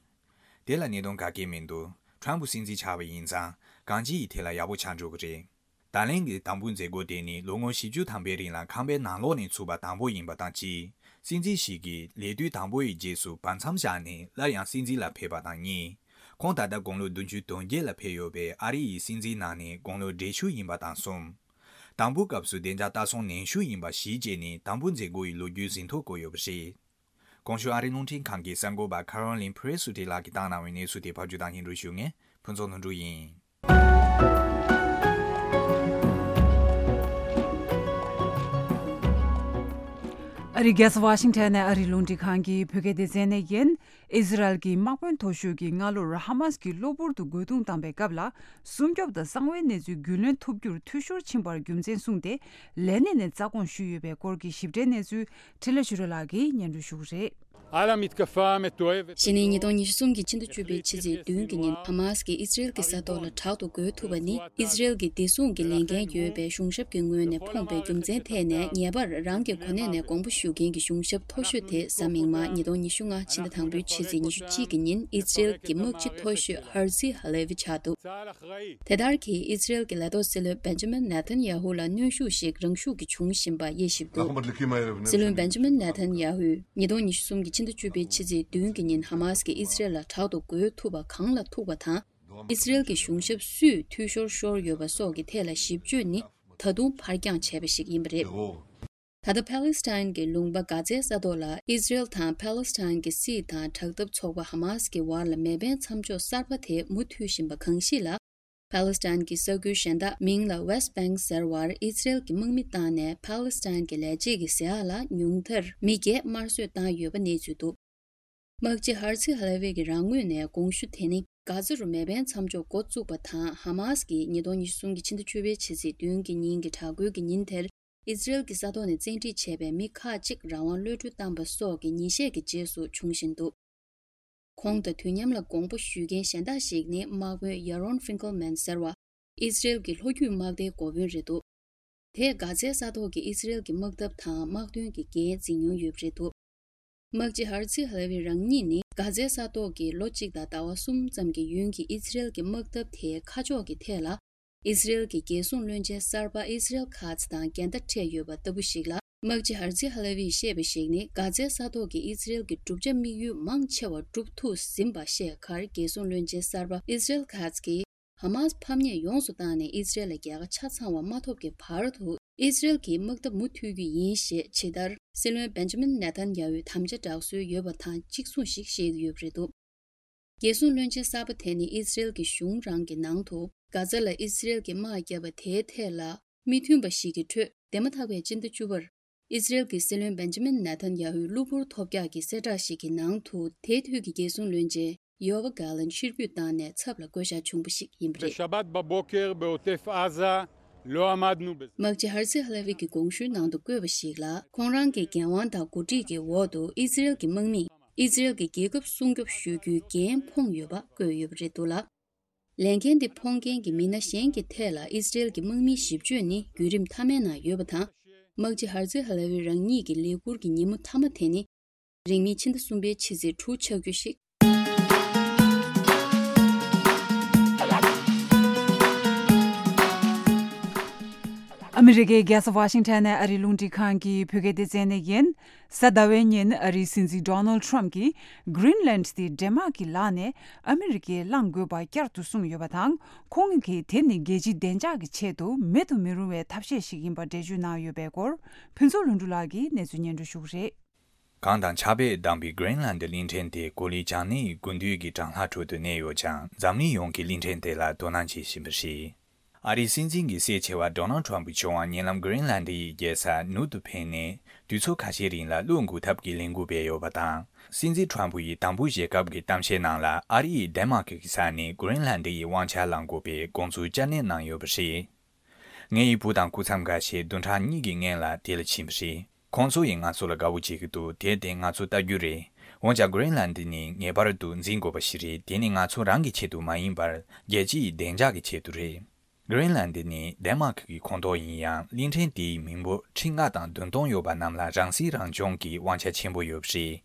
དེ་ལ་གནད་དོན་ག་གེ་མི་འདུག་ཊམ་ཕུ་སྲིད་འཛིན་ཆགས་པ་ཡིན་ཙང་གང་ཅིའི་ཐད་ལ་ཡག་པོ་ཆགས་འགྲོ་གི་རེད། ད་ལན་གྱི་དང་པོའི་མཛད་སྒོ་དེ་ནི་ལོ་ངོ་བཞི་བཅུ་ཐམ་པའི་རིང་ལ་ཁང་པའི་ནང་ལོགས་ནས་ཚུགས་པ་དང་པོ་ཡིན་པ་དང་གཅིག་སྲིད་འཛིན་ཞིག་གིས་ལས་དུས་དང་པོ་ཡི་རྗེས་སུ་བར་མཚམས་བཞག་ནས་སླར་ཡང་སྲིད་འཛིན་ལ་ཕེབས་པ་དང་གཉིས། ཁོང་ད་ལྟ་དགུང་ལོ་བདུན་ཅུ་དོན་བརྒྱད་ལ་ཕེབས་ཡོད་པའི་ཨ་རི་ཡི་སྲིད་འཛིན་ནང་ནས་དགུང་ལོ་བགྲེས་ཤོས་ཡིན་པ་དང་གསུམ། དང་པོའི་སྐབས་སུ་བདེ་འཇགས་ལྟ་སྲུང་ནན་ཤོས་ཡིན་པ་གཞི་བྱས་ནས་དང་པོའི་མཛད་སྒོ་ཡི་ལོ་རྒྱུས་ཟིན་ཐོ་བཀོད་ཡོད་པ་རེད། གོང་ཞུས་ཨ་རིའི་རླུང་འཕྲིན་ཁང་གི་གསར་འགོད་པ་ཁ་རོ་ལིན་ཕི་རེ་སུ་ཏི་ལགས་ཀྱིས་བཏང་གནང་བའི་གནས་ཚུལ་དེ་ཕབ་སྒྱུར་དང་སྙན་སྒྲོན་ཞུ་མཁན་ཕུན་ཚོགས་ལྷུན་གྲུབ་ཡིན། ཨ་རིའི་རྒྱལ་ས་ཝ་ཤིང་ཊོན་ནས་ཨ་རིའི་རླུང་འཕྲིན་ཁང་གི་བོད་སྐད་སྡེ་ཚན་ནས་ཡིན། ཨི་ཟི་རལ་གྱི་དམག་དཔོན་མཐོ་ཤོས་ཀྱིས་སྔ་ལོར་ཧ་མཱས་ཀྱི་གློ་བུར་དུ་རྒོལ་རྡུང་བཏང་པའི་སྐབས་ལ། སྲུང་སྐྱོབ་དང་གསང་བའི་གནས་ཚུལ་རྒྱུས་ལོན་ཐུབ་རྒྱུར་འཐུས་ཤོར་ཕྱིན་པར་རྒྱུ་མཚན་གསུངས་ཏེ། ལས་གནས་ནས་རྩ་དགོངས་ཞུས་ཡོད་པའི་སྐོར་གྱི་ཞིབ་ཕྲའི་གནས་ཚུལ་འཕྲིན་ལས་ཆོས་སྒྲོན་ལགས་ཀྱིས་སྙན་སྒྲོན་ཞུ་གི་རེད། على متكفى متوقف གཞི་ནས་ཉིས་སྟོང་ཉི་ཤུ་གསུམ་གྱི་ཕྱི་ཟླ་བཅུ་པའི་ཕྱི་ཚེས་བདུན་གྱི་ཉིན་ཧ་མཱས་ཀྱིས་ཨི་ཟི་རེལ་གྱི་ས་ཐོག་ལ་དྲག་ཏུ་རྒོལ་ཐུབ་པ་ནི་ཨི་ཟི་རེལ་གྱི་བདེ་སྲུང་གི་ལས་འགན་ཡོད་པའི་གཞུང་ཞབས་ཀྱི་ངོས་ནས་ཕོངས་པའི་རྒྱུ་མཚན་ཐད་ནས། ངེས་པར་རང་གི་གོ་གནས་ནས་དགོངས་པ་ཞུ་མཁན་གྱི་གཞུང་ཞབས་མཐོ་ཤོས་དེ་གཟའ་མིག་དམར་ཉིས་སྟོང་ཉི་ཤུ་ལྔ་ཕྱི་ཟླ་དང་པོའི་ཕྱི་ཚེས་ཉི་ཤུ་གཅིག་གི་ཉིན་ཨི་ཟི་རེལ་གྱི་དམག་སྤྱི་མཐོ་ཤོས་ཧར་ཛི་ཧ་ལེ་ཝི་ཆགས་འདུག་དེ་ལྟར་གྱིས་ཨི་ཟི་རེལ་གྱི་ལས་ཐོག་སྲིད་བློན་བེན་ཇ་མིན་ནེ་ཐན་ཡ་ཧུ་ལ་གནོན་ཤུགས་ཤིག་རང་ཤུགས་ཀྱིས་བྱུང་བཞིན་པ་དབྱེ་ཞིབ་འདུག་སྲིད་བློན་བེན་ཇ་མིན་ནེ་ཐན་ཡ་ཧུས་ཉིས་སྟོང་ཉི་ཤུ་གསུམ་གྱི་ཕྱི་ཟླ་བཅུ་པའི་ཕྱི་ཚེས་བདུན་གྱི་ཉིན་ཧ་མཱས་ཀྱིས་ཨི་ཟི་རེལ་ལ་དྲག་ཏུ་རྒོལ་ཐུབ་པ་གང་ལ་ཐུག་པ་དང་། ཨི་ཟི་རེལ་གྱི་གཞུང་ཞབས་སུས་འཐུས་ཤོར་ཤོར་ཡོད་པ་སོགས་ཀྱི་ཐད་ལ་ཞིབ་དཔྱོད་ནི་ད་དུང་ཕར་འགྱངས་བྱས་པ་ཞིག་ཡིན་པ་རེད། ད་ལྟ་ཕཱ་ལེ་སི་ཐན་གྱི་ལུང་པ་གྷ་ཛའི་ས་ཐོག་ལ་ཨི་ཟི་རེལ་དང་ཕཱ་ལེ་སི་ཐན་གྱི་སྲིད་དང་དྲག་འཐབ་ཚོགས་པ་ཧ་མཱས་ཀྱི་བར་ལ་མེ་འཕེན་མཚམས་འཇོག་གསར་པ་དེ་མུ་མཐུད་བཞིན་པ་གང་ཞིག་ལ། ཕཱ་ལེ་སི་ཐན་གྱི་ས་ཁུལ་གཞན་དག་མིང་ལ་ཝེསྟ་བེང་ཟེར་བར་ཨི་ཟི་རེལ་གྱི་དམག་མི་བཏང་ནས་ཕཱ་ལེ་སི་ཐན་གྱི་ལས་བྱེད་ཀྱི་ཟས་ཨ་ལ་ཉུང་མཐར་མི་བརྒྱད་དམར་གསོད་བཏང་ཡོད་པ་གནས་ཚུལ་འདུག་དམག་སྤྱི་ཧར་ཛི་ཧ་ལེ་ཝི་གི་རང་ངོས་ནས་དགོངས་ཞུ་དེ་ནི་གྷ་ཛ་རུ་མེ་འཕེན་མཚམས་འཇོག་འགོ་བཙུགས་པ་དང་། ཧ་མཱས་ཀྱིས་ཉིས་སྟོང་ཉི་ཤུ་གསུམ་གྱི་ཕྱི་ཟླ་བཅུ་པའི་ཕྱི་ཚེས་བདུན་གྱི་ཉིན་གྱི་དྲག་རྒོལ་གྱི་ཉིན་དེར་ཨི་ཟི་རེལ་གྱི་ས་ཐོག་ནས་བཙན་ཁྲིད་བྱས་པའི་མི་ཁག་ཅིག་རང་དབང་གློད་གྲོལ་བཏང་པ་སོགས་ཀྱི་ཉིན་ཤས་ཀྱི་རྗེས་སུ་བྱུང་བཞིན་འདུག་ཁོང་དང་དུས་མཉམ་ལ་དགོངས་པ་ཞུ་མཁན་གཞན་དག་ཞིག་ནི་དམག་དཔོན་ཡ་རོན་ཧྥིང་ཀལ་མན་ཟེར་བ། ཨི་ཟི་རེལ་གྱི་ལྷོ་རྒྱུད་དམག་སྡེའི་འགོ་དཔོན་རེད་འདུག་དེས་གྷ་ཛའི་ས་ཐོག་གི་ཨི་ཟི་རེལ་གྱི་དམག་འཐབ་དང་དམག་དོན་གྱི་འགན་འཛིན་མྱོང་ཡོད་པ་རེད་འདུག་དམག་སྤྱི་ཧར་ཛི་ཧ་ལེ་ཝི་རང་ཉིད་ནི་གྷ་ཛའི་ས་ཐོག་གི་ལོ་གཅིག་དང་ཟླ་བ་གསུམ་ཙམ་གྱི་ཡུན་གྱི་ཨི་ཟི་རེལ་གྱི་དམག་འཐབ་དེའི་ཁ་ཕྱོགས་ཀྱི་ཐད་ལ། ཨི་ཟི་རེལ་གྱི་རྒྱལ་སྲུང་བློན་ཆེན་གསར་པ་ཨི་ཟི་རེལ་ཁཱ་ཛི་དང་འགལ་ཟླ་འཕྲད་ཡོད་པ་ལྟ་བུ་ཞིག་ལ། དམག་སྤྱི་ཧར་ཛི་ཧ་ལེ་ཝིས་བཤད་པ་ཞིག་ནི། གྷ་ཛའི་ས་ཐོག་གི་ཨི་ཟི་རེལ་གྱི་བསྒྲུབ་བྱ་དམིགས་ཡུལ་མང་ཆེ་བ་འགྲུབ་ཐུབ་ཟིན་པ་བཤད་ཁར། རྒྱལ་སྲུང་བློན་ཆེན་གསར་པ་ཨི་ཟི་རེལ་ཁཱ་ཛི་གིས། ཧ་མཱས་ཕམ་ཉེས་ཡོངས་སུ་བཏང་ནས་ཨི་ཟི་རེལ་ལ་རྒྱལ་ཁ་ཆ་ཚང་བ་མ་ཐོབ་ཀྱི་བར་དུ། ཨི་སི་རེལ་གྱི་དམག་འཐབ་མུ་མཐུད་རྒྱུ་ཡིན་ཞེས་ཇི་ལྟར་སྲིད་བློན་བེན་ཇ་མིན་ནེ་ཐན་ཡ་ཧུའི་དམ་བཅའ་བསྒྲགས་སྲོལ་ཡོད་པ་དང་གཅིག་མཚུངས་ཤིག་བཤད་ཀྱི་ཡོད་པ་རེད་འདུག་རྒྱལ་སྲུང་བློན་ཆེན་གསར་པ་དེ་ནི་ཨི་སི་རེལ་གྱི་གཞུང་རང་གི་ནང་དུ་གྷ་ཛ་ལ་ཨི་སི་རེལ་གྱི་དམག་བརྒྱབ་པ་དེའི་ཐད་ལ་མི་མཐུན་པ་ཞིག་གི་ཁྲོད། འདས་མ་ཐག་པའི་སྤྱི་ཟླ་བཅུ་པར་ཨི་སི་རེལ་གྱི་སྲིད་བློན་བེན་ཇ་མིན་ནེ་ཐན་ཡ་ཧུའི་གློ་བུར་ཐོལ་རྒྱག་གི་གསལ་བསྒྲགས་ཤིག་གི་ནང་དུ་དེའི་དུས་ཀྱི་རྒྱལ་སྲུང་བློན་ཆེན་ཡོ་ཝ་གྷ་ལན་ཕྱིར་འབུད་བཏང་ནས་ཚབ་ལ་བསྐོ་བཞག་བྱུང་བ་ཞིག་ཡིན་པ་རེད། בשבת בבוקר בעוטף עזה לא עמדנו בזה. མག་ཇི་ཧར་ཛི་ཧ་ལ་ཝི་གི་དགོངས་ཞུའི་ནང་དུ་བཀོད་པ་ཞིག་ལ། ཁོང་རང་གི་འགན་དབང་དང་འགོ་ཁྲིད་ཀྱི་འོག་ཏུ་ཨི་སི་རེལ་གྱི་དམག་མིས་ཨི་སི་རེལ་གྱི་རྒྱལ་ཁབ་སྲུང་སྐྱོབ་ཞུ་རྒྱུའི་འགན་འཕངས་ཡོད་པ་བཀོད་ཡོད་པ་རེད་འདུག་ལ། ལས་འགན་དེ་འཕངས་མཁན་གྱི་མི་སྣ་གཞན་གྱི་ཐད་ལ་ཨི་སི་རེལ་གྱི་དམག་མིའི་ཞིབ་དཔྱོད་ནི་བརྒྱུད་རིམ་མཐའ་མའི་ནང་ཡོད་པ་དང་། མག་ཇི་ཧར་ཛི་ཧ་ལ་ཝི་རང་ཉིད་ཀྱི་ལས་ཁུར་གྱི་ཉིན་མོ་མཐའ་མ་དེ་ནི། རིང་མིན་ཕྱི་ཟླ་གསུམ་པའི་ཕྱི་ཚེས་དྲུག་ཆགས་རྒྱུ་ཞིག་ཨ་མི་རི་ཀའི་རྒྱལ་ས་ཝ་ཤིང་ཊོན་ནས་ཨ་རིའི་རླུང་འཕྲིན་ཁང་གི་བོད་སྐད་སྡེ་ཚན་ནས་ཡིན། གཟའ་ཟླ་བའི་ཉིན་ཨ་རིའི་སྲིད་འཛིན་ཌོ་ནལ་ཌི་ཊརམ་གྱིས་གྷི་རིན་ལན་ཌི་དེ་ཌེན་མཱག་གི་ལག་ནས་ཨ་མི་རི་ཀས་བླང་དགོས་པ་བསྐྱར་དུ་གསུངས་ཡོད་པ་དང་། ཁོང་གིས་དེ་ནི་རྒྱལ་སྤྱིའི་བདེ་འཇགས་ཀྱི་ཆེད་དུ་མེད་དུ་མི་རུང་བའི་ཐབས་ཤེས་ཤིག་ཡིན་པ་འགྲེལ་བརྗོད་གནང་ཡོད་པའི་སྐོར། ཕུན་ཚོགས་ལྷུན་གྲུབ་ལགས་ཀྱིས་གནས་ཚུལ་སྙན་སྒྲོན་ཞུ་གི་རེད། གངས་དང་ཆར་པས་བསྡམས་པའི་གྷི་རིན་ལན་ཌི་གླིང་ཕྲན་དེ་གོ་ལའི་བྱང་སྣེའི་དགུན་དུས་ཀྱི་གྲང་ལྷགས་ཁྲོད་དུ་གནས་ཡོད་ཀྱང་། འཛམ་གླིང་ཡོངས་ཀྱིས་གླིང་ཕྲན་དེ་ལ་དོ་སྣང་བྱེད་བཞིན་པ་རེད། ཨ་རིའི་སྲིད་འཛིན་གྱི་སྲས་ཆེ་བ་ཌོ་ནལ་ཌི་ཊརམ་གྱི་ཕྱོགས་ནས་ཉེ་ལམ་གྷི་རིན་ལན་ཌི་ཡི་རྒྱལ་ས་ནུབ་ཏུ་ཕེབས་ནས་དུས་ཚོད་ཁ་ཤས་རིང་ལ་གློག་འགུག་ཐབས་ཀྱི་ལས་འགུལ་སྤེལ་ཡོད་པ་དང་། སྲིད་འཛིན་ཊརམ་ཕུ་ཡིས་དང་པོ་ཞལ་སྐབས་ཀྱི་གཏམ་བཤད་ནང་ལ། ཨ་རི་ཡིས་ཌེན་མཱག་གི་ས་ནས་གྷི་རིན་ལན་ཌི་ཡི་དབང་ཆ་བླང་དགོས་པའི་དགོངས་ཚུལ་བསྐྱར་ནན་གནང་ཡོད་པ་རེད། ངེད་ཡི་བུ་དང་སྐུ་མཚམས་འགའ་ཤས་བདུན་ཕྲག་གཉིས་ཀྱི་སྔོན་ལ་དེ་ལ་ཕྱིན་པ་རེད། ཁོང་ཚོ་ཡིས་ང་ཚོ་ལ་དགའ་བོ་བྱེད་ཀྱི་འདུག་དེར་བརྟེན་ང་ཚོ་ལྟ་རྒྱུ་རེད། འོན་ཀྱང་གྷི་རིན་ལན་ཌི་ནི་ངེས་པར་དུ་འཛིན་དགོས་པ་ཞིག་རེད། དེ་ནི་ང་ཚོ་རང་གི་ཆེད་དུ་མ་ཡིན་པར། རྒྱལ་སྤྱིའི་བདེ་འཇགས་ཀྱི་ཆེད་དུ་རེད། གྷི་རིན་ལན་ཌི་ནི་ཌེན་མཱག་གི་ཁོངས་གཏོགས་ཡིན་ཡང་། གླིང་ཕྲན་དེའི་མི་འབོར་ཁྲི་ལྔ་དང་བདུན་སྟོང་ཡོད་པ་རྣམས་ལ་རང་སྲིད་རང་སྐྱོང་གི་དབང་ཆ་ཆེན་པོ་ཡོད་པ་རེད།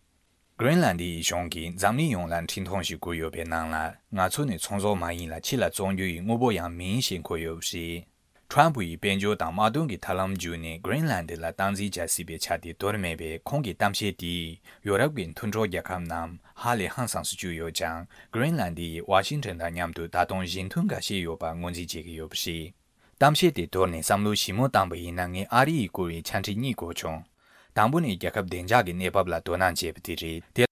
གྷི་རིན་ལན་ཌི་ཡི་གཞུང་གིས་འཛམ་གླིང་ཡོངས་ལ་འཕྲིན་ཐུང་ཞིག་བསྐུར་ཡོད་པའི་ནང་ལ། ང་ཚོ་ནི་ཚོང་ཟོག་མ་ཡིན་ལ་ཕྱི་ལ་བཙོང་རྒྱུ་ཡི་དངོས་པོ་ཡང་མིན་ཞེས་འཁོད་ཡོད་པ་རེད། ཊརམ་ཕུ་ཡིས་དཔལ་འབྱོར་དང་དམག་དོན་གྱི་ཐབས་ལམ་བརྒྱུད་ནས་གྷི་རིན་ལན་ཌི་ལ་སྟངས་འཛིན་བྱ་སྲིད་པའི་ཆ་དེ་དོར་མེད་པས། ཁོང་གི་གཏམ་བཤད་དེས་ཡོ་རོབ་ཀྱི་མཐུན་གྲོགས་རྒྱལ་ཁབ་རྣམས་ཧ་ལས་ཧང་སངས་སུ་གྱུར་ཡོད་ཀྱང་། གྷི་རིན་ལན་ཌི་ཡིས་ཝ་ཤིང་ཊོན་དང་མཉམ་དུ་ད་དུང་གཞི་མཐུན་འགའ་ཤས་ཡོད་པ་ངོས་འཛིན་བྱེད་ཀྱི་ཡོད་པ་རེད། གཏམ་བཤད་དེ་དོར་ནས་བསམ་བློ་ཞིབ་མོ་བཏང་པ་ཡིན་ན། ངས་ཨ་རི་ཡིས་བསྐུར་བའི་ཆ་འཕྲིན་གཉིས་གོ་བྱུང་། དང་པོ་ནི་རྒྱལ་ཁབ་བདེ་འཇགས་ཀྱི་གནས་བབ་ལ་དོ་སྣང་བྱས་པ་དེ་རེད། དེ།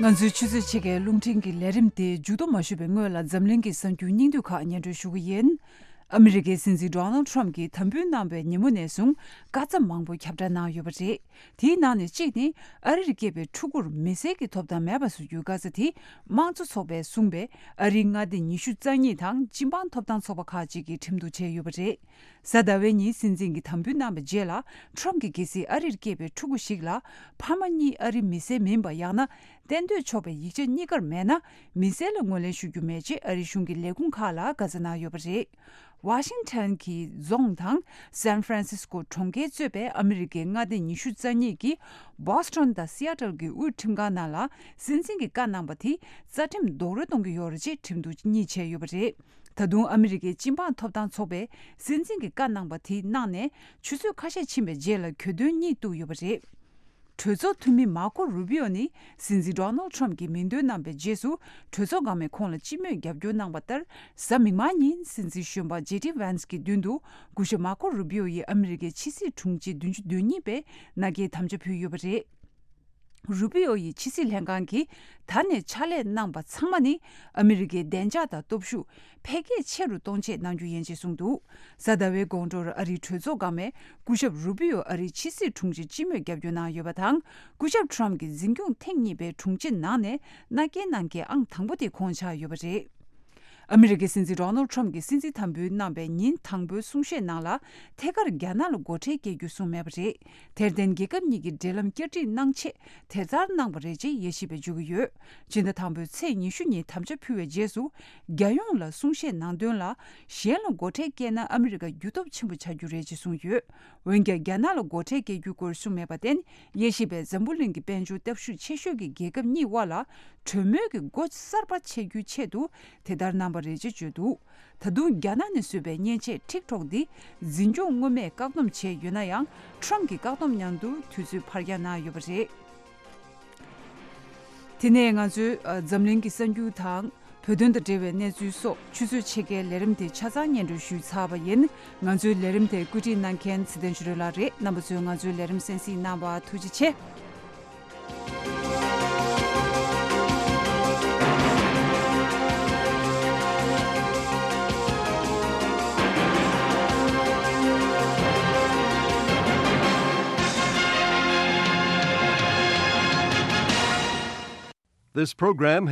ང་ཚོའི་ཆུ་ཚོད་ཕྱེད་ཀའི་རླུང་འཕྲིན་གྱི་ལས་རིམ་དེ་མཇུག་བསྡོམས་མ་ཞུས་པའི་སྔོན་ལ། འཛམ་གླིང་གི་གསར་འགྱུར་སྙིང་བསྡུས་ཁག་སྙན་སྒྲོན་ཞུ་གི་ཡིན། ཨ་མི་རི་ཀའི་སྲིད་འཛིན་ཌོ་ནལ་ཌི་ཊརམ་གྱིས་དམ་འབུལ་གནང་བའི་ཉིན་མོ་ནས་བཟུང་། བཀའ་སྩལ་མང་པོ་ཁྱབ་བསྒྲགས་གནང་ཡོད་པ་རེད། དེའི་ནང་ནས་གཅིག་ནི། ཨ་རིར་སྐྱེས་པའི་ཕྲུ་གུར་མི་སེར་གྱི་ཐོབ་ཐང་མེད་པ་བཟོ་རྒྱུའི་བཀའ་རྩལ་དེ། དམངས་གཙོ་ཚོགས་པས་གསུངས་པའི་ཨ་རིའི་མངའ་སྡེ་ཉི་ཤུ་རྩ་གཉིས་དང་སྤྱི་འབངས་ཐོབ་ཐང་ཚོགས་པ་ཁག་ཅིག་གིས་ཁྲིམས་གཏུག་བྱས་ཡོད་པ་རེད། གཟའ་ཟླ་བའི་ཉིན་སྲིད་འཛིན་གྱིས་དམ་འབུལ་གནང་བའི་རྗེས་ལ། ཊརམ་གྱིས་གལ་སྲིད་ཨ་རིར་སྐྱེས་པའི་ཕྲུ་གུ་ཞིག་ལ་ཕ་མ་གཉིས་ཨ་རི་མི་སེར་མིན་པ། ཡང་ན་གཏན་སྡོད་ཆོག་པའི་ཡིག་ཆ་གཉིས་ཀར་མེད་ན། མི་སེར་ལ་ངོས་ལེན་ཞུ་རྒྱུ་མེད་ཅེས་ཨ་རིའི་གཞུང་གི་ལས་ཁུངས་ཁག་ལ་བཀའ་སྩལ་གནང་ཡོད་པ་རེད། ཝ་ཤིང་ཊོན་གྱི་རྫོང་དང་སན་ཧྥ་རན་སིས་ཀོ་གྲོང་ཁྱེར་གཙོས་པའི་ཨ་མི་རི་ཀའི་མངའ་སྡེ་ཉི་ཤུ་རྩ་གཉིས་ཀྱི་བྷོ་སི་ཊོན་དང་སི་ཨ་ཊལ་གྱི་དབུས་ཁྲིམས་ཁང་ནང་ལ། སྲིད་འཛིན་གྱིས་བཀའ་གནང་བ་དེ་རྩ་ཁྲིམས་རྡོག་རོལ་གཏོང་གི་ཡོད་རེད་ཅེས་ཁྲིམས་གཏུག་གཉིས་བྱས་ཡོད་པ་རེད། ད་དུང་ཨ་མི་རི་ཀའི་སྤྱི་འབངས་ཐོབ་ཐང་ཚོགས་པས་སྲིད་འཛིན་གྱིས་བཀའ་གནང་བ་དེ་གནང་ནས་ཆུ་ཚོད་ཁ་ཤས་ཕྱིན་པའི་རྗེས་ལ་གྱོད་དོན་གཉིས་གཏུགས་ཡོད་པ་རེད། གྲོས་ཚོགས་འཐུས་མི་མར་ཀོ་རུ་བྷི་ཨོ་ནི་སྲིད་འཛིན་ཌོ་ནལ་ཌི་ཊརམ་གྱིས་མིང་འདོན་གནང་བའི་རྗེས་སུ། གྲོས་ཚོགས་འགག་མེད་ཁོང་ལ་སྤྱི་མོས་རྒྱབ་སྐྱོར་གནང་བ་ལྟར། གཟའ་མིག་དམར་ཉིན་སྲིད་འཛིན་གཞོན་པ་ཇེ་ཌི་ཝན་སི་གི་མདུན་དུ། སྐུ་ཞབས་མར་ཀོ་རུ་བྷི་ཨོ་ཡིས་ཨ་མི་རི་ཀའི་ཕྱི་སྲིད་དྲུང་ཆེ་བདུན་ཅུ་དོན་གཉིས་པའི་མནའ་སྐྱེལ་དམ་བཅའ་ཕུལ་ཡོད་པ་རེད། རུ་བྷི་ཨོ་ཡིས་ཕྱི་སྲིད་ལྷན་ཁང་གིས་ད་ནས་ཕྱག་ལས་གནང་པ་ཚང་མ་ནི། ཨ་མི་རི་ཀའི་བདེ་འཇགས་དང་སྟོབས་ཤུགས་འཕེལ་རྒྱས་ཆེ་རུ་གཏོང་ཆེད་གནང་རྒྱུ་ཡིན་ཅེས་གསུངས་འདུག་གཟའ་ཟླ་བའི་དགོང་དྲོར་ཨ་རིའི་གྲོས་ཚོགས་འགག་མེད་སྐུ་ཞབས་རུ་བྷི་ཨོ་ཨ་རིའི་ཕྱི་སྲིད་དྲུང་ཆེར་སྤྱི་མོས་རྒྱབ་སྐྱོར་གནང་ཡོད་པ་དང་། སྐུ་ཞབས་ཊརམ་གྱི་འཛིན་སྐྱོང་ཐེངས་གཉིས་པའི་དྲུང་ཆེ་ནང་ནས་མནའ་སྐྱེལ་གནང་མཁན་ཨང་དང་པོ་དེ་ཁོང་ཆགས་ཡོད་པ་རེད། ཨ་མི་རི་ཀའི་སྲིད་འཛིན་ཌོ་ནལ་ཌི་ཊརམ་གྱིས་སྲིད་འཛིན་དམ་འབུལ་གནང་བའི་ཉིན་དང་པོའི་གསུང་བཤད་ནང་ལ། ཐད་ཀར་རྒྱ་ནག་ལ་སྒོ་ཁྲལ་སྐྱེལ་རྒྱུ་གསུངས་མེད་པ་རེད། དེར་བརྟེན་རྒྱལ་ཁབ་གཉིས་ཀྱི་འབྲེལ་ལམ་བསྐྱར་སྒྲིག་གནང་ཆེད་དེ་ལྟར་གནང་བ་རེད་ཅེས་དབྱེ་ཞིབ་པས་བརྗོད་ཀྱི་ཡོད། སྤྱི་ཟླ་དང་པོའི་ཚེས་ཉི་ཤུ་ཉིན་དམ་བཅའ་ཕུལ་བའི་རྗེས་སུ། རྒྱལ་ཡོངས་ལ་གསུང་བཤད་གནང་དོན་ལ། གཞན་ལ་སྒོ་ཁྲལ་བཀལ་ན་ཨ་མི་རི་ཀ་འགྱུར་སྟོབས་ཆེན་པོ་ཆགས་རྒྱུ་རེད་ཅེས་གསུངས་ཡོད། འོན་ཀྱང་རྒྱ་ནག་ལ་སྒོ་ཁྲལ་སྐྱེལ་རྒྱུའི་སྐོར་གསུངས་མེད་པར་བརྟེན། དབྱེ་ཞིབ་པས་འཛམ་བུ་གླིང་གི་དཔལ་འབྱོར་སྟོབས་ཤུགས་ཆེ་ཤོས་ཀྱི་རྒྱལ་ཁབ་གཉིས་དབར་ལ་གྲོས་མོལ་གྱི་སྒོ་གསར་པ་ཕྱེ་རྒྱུའི་ཆེད་དུ་དེ་ལྟར་གནང་བ་རེད་ཅེས་བརྗོད་འདུག་ད་དུང་རྒྱ་ནག་ནས་བཟོས་པའི་མཉེན་ཆས་ཊིག་ཊོག་འདི་འཛིན་སྐྱོང་སྔོན་མས་བཀག་སྡོམ་བྱས་ཡོད་ན་ཡང་། ཊརམ་གྱིས་བཀག་སྡོམ་མཉམ་དུ་དུས་ཚོད་ཕར་འགྱངས་གནང་ཡོད་པ་རེད། དེ་ནས་ང་ཚོས་ཨ་འཛམ་གླིང་གི་གསར་འགྱུར་དང་། བོད་དོན་དང་འབྲེལ་བའི་གནས་ཚུལ་སོགས་ཆུ་ཚོད་ཕྱེད་ཀའི་ལས་རིམ་དེ་ཆ་ཚང་སྙན་སྒྲོན་ཞུས་ཚར་བ་ཡིན། ང་ཚོའི་ལས་རིམ་དེ་བཀོད་སྒྲིག་གནང་མཁན་ཚེ་བརྟན་ཆོས་སྒྲོན་ལགས་རེད། རྣམ་པ་ཚོས་ང་ཚོའི་ལས་རིམ་གསན་གཟིགས་གནང་བར་ཐུགས་རྗེ་ཆེ། This program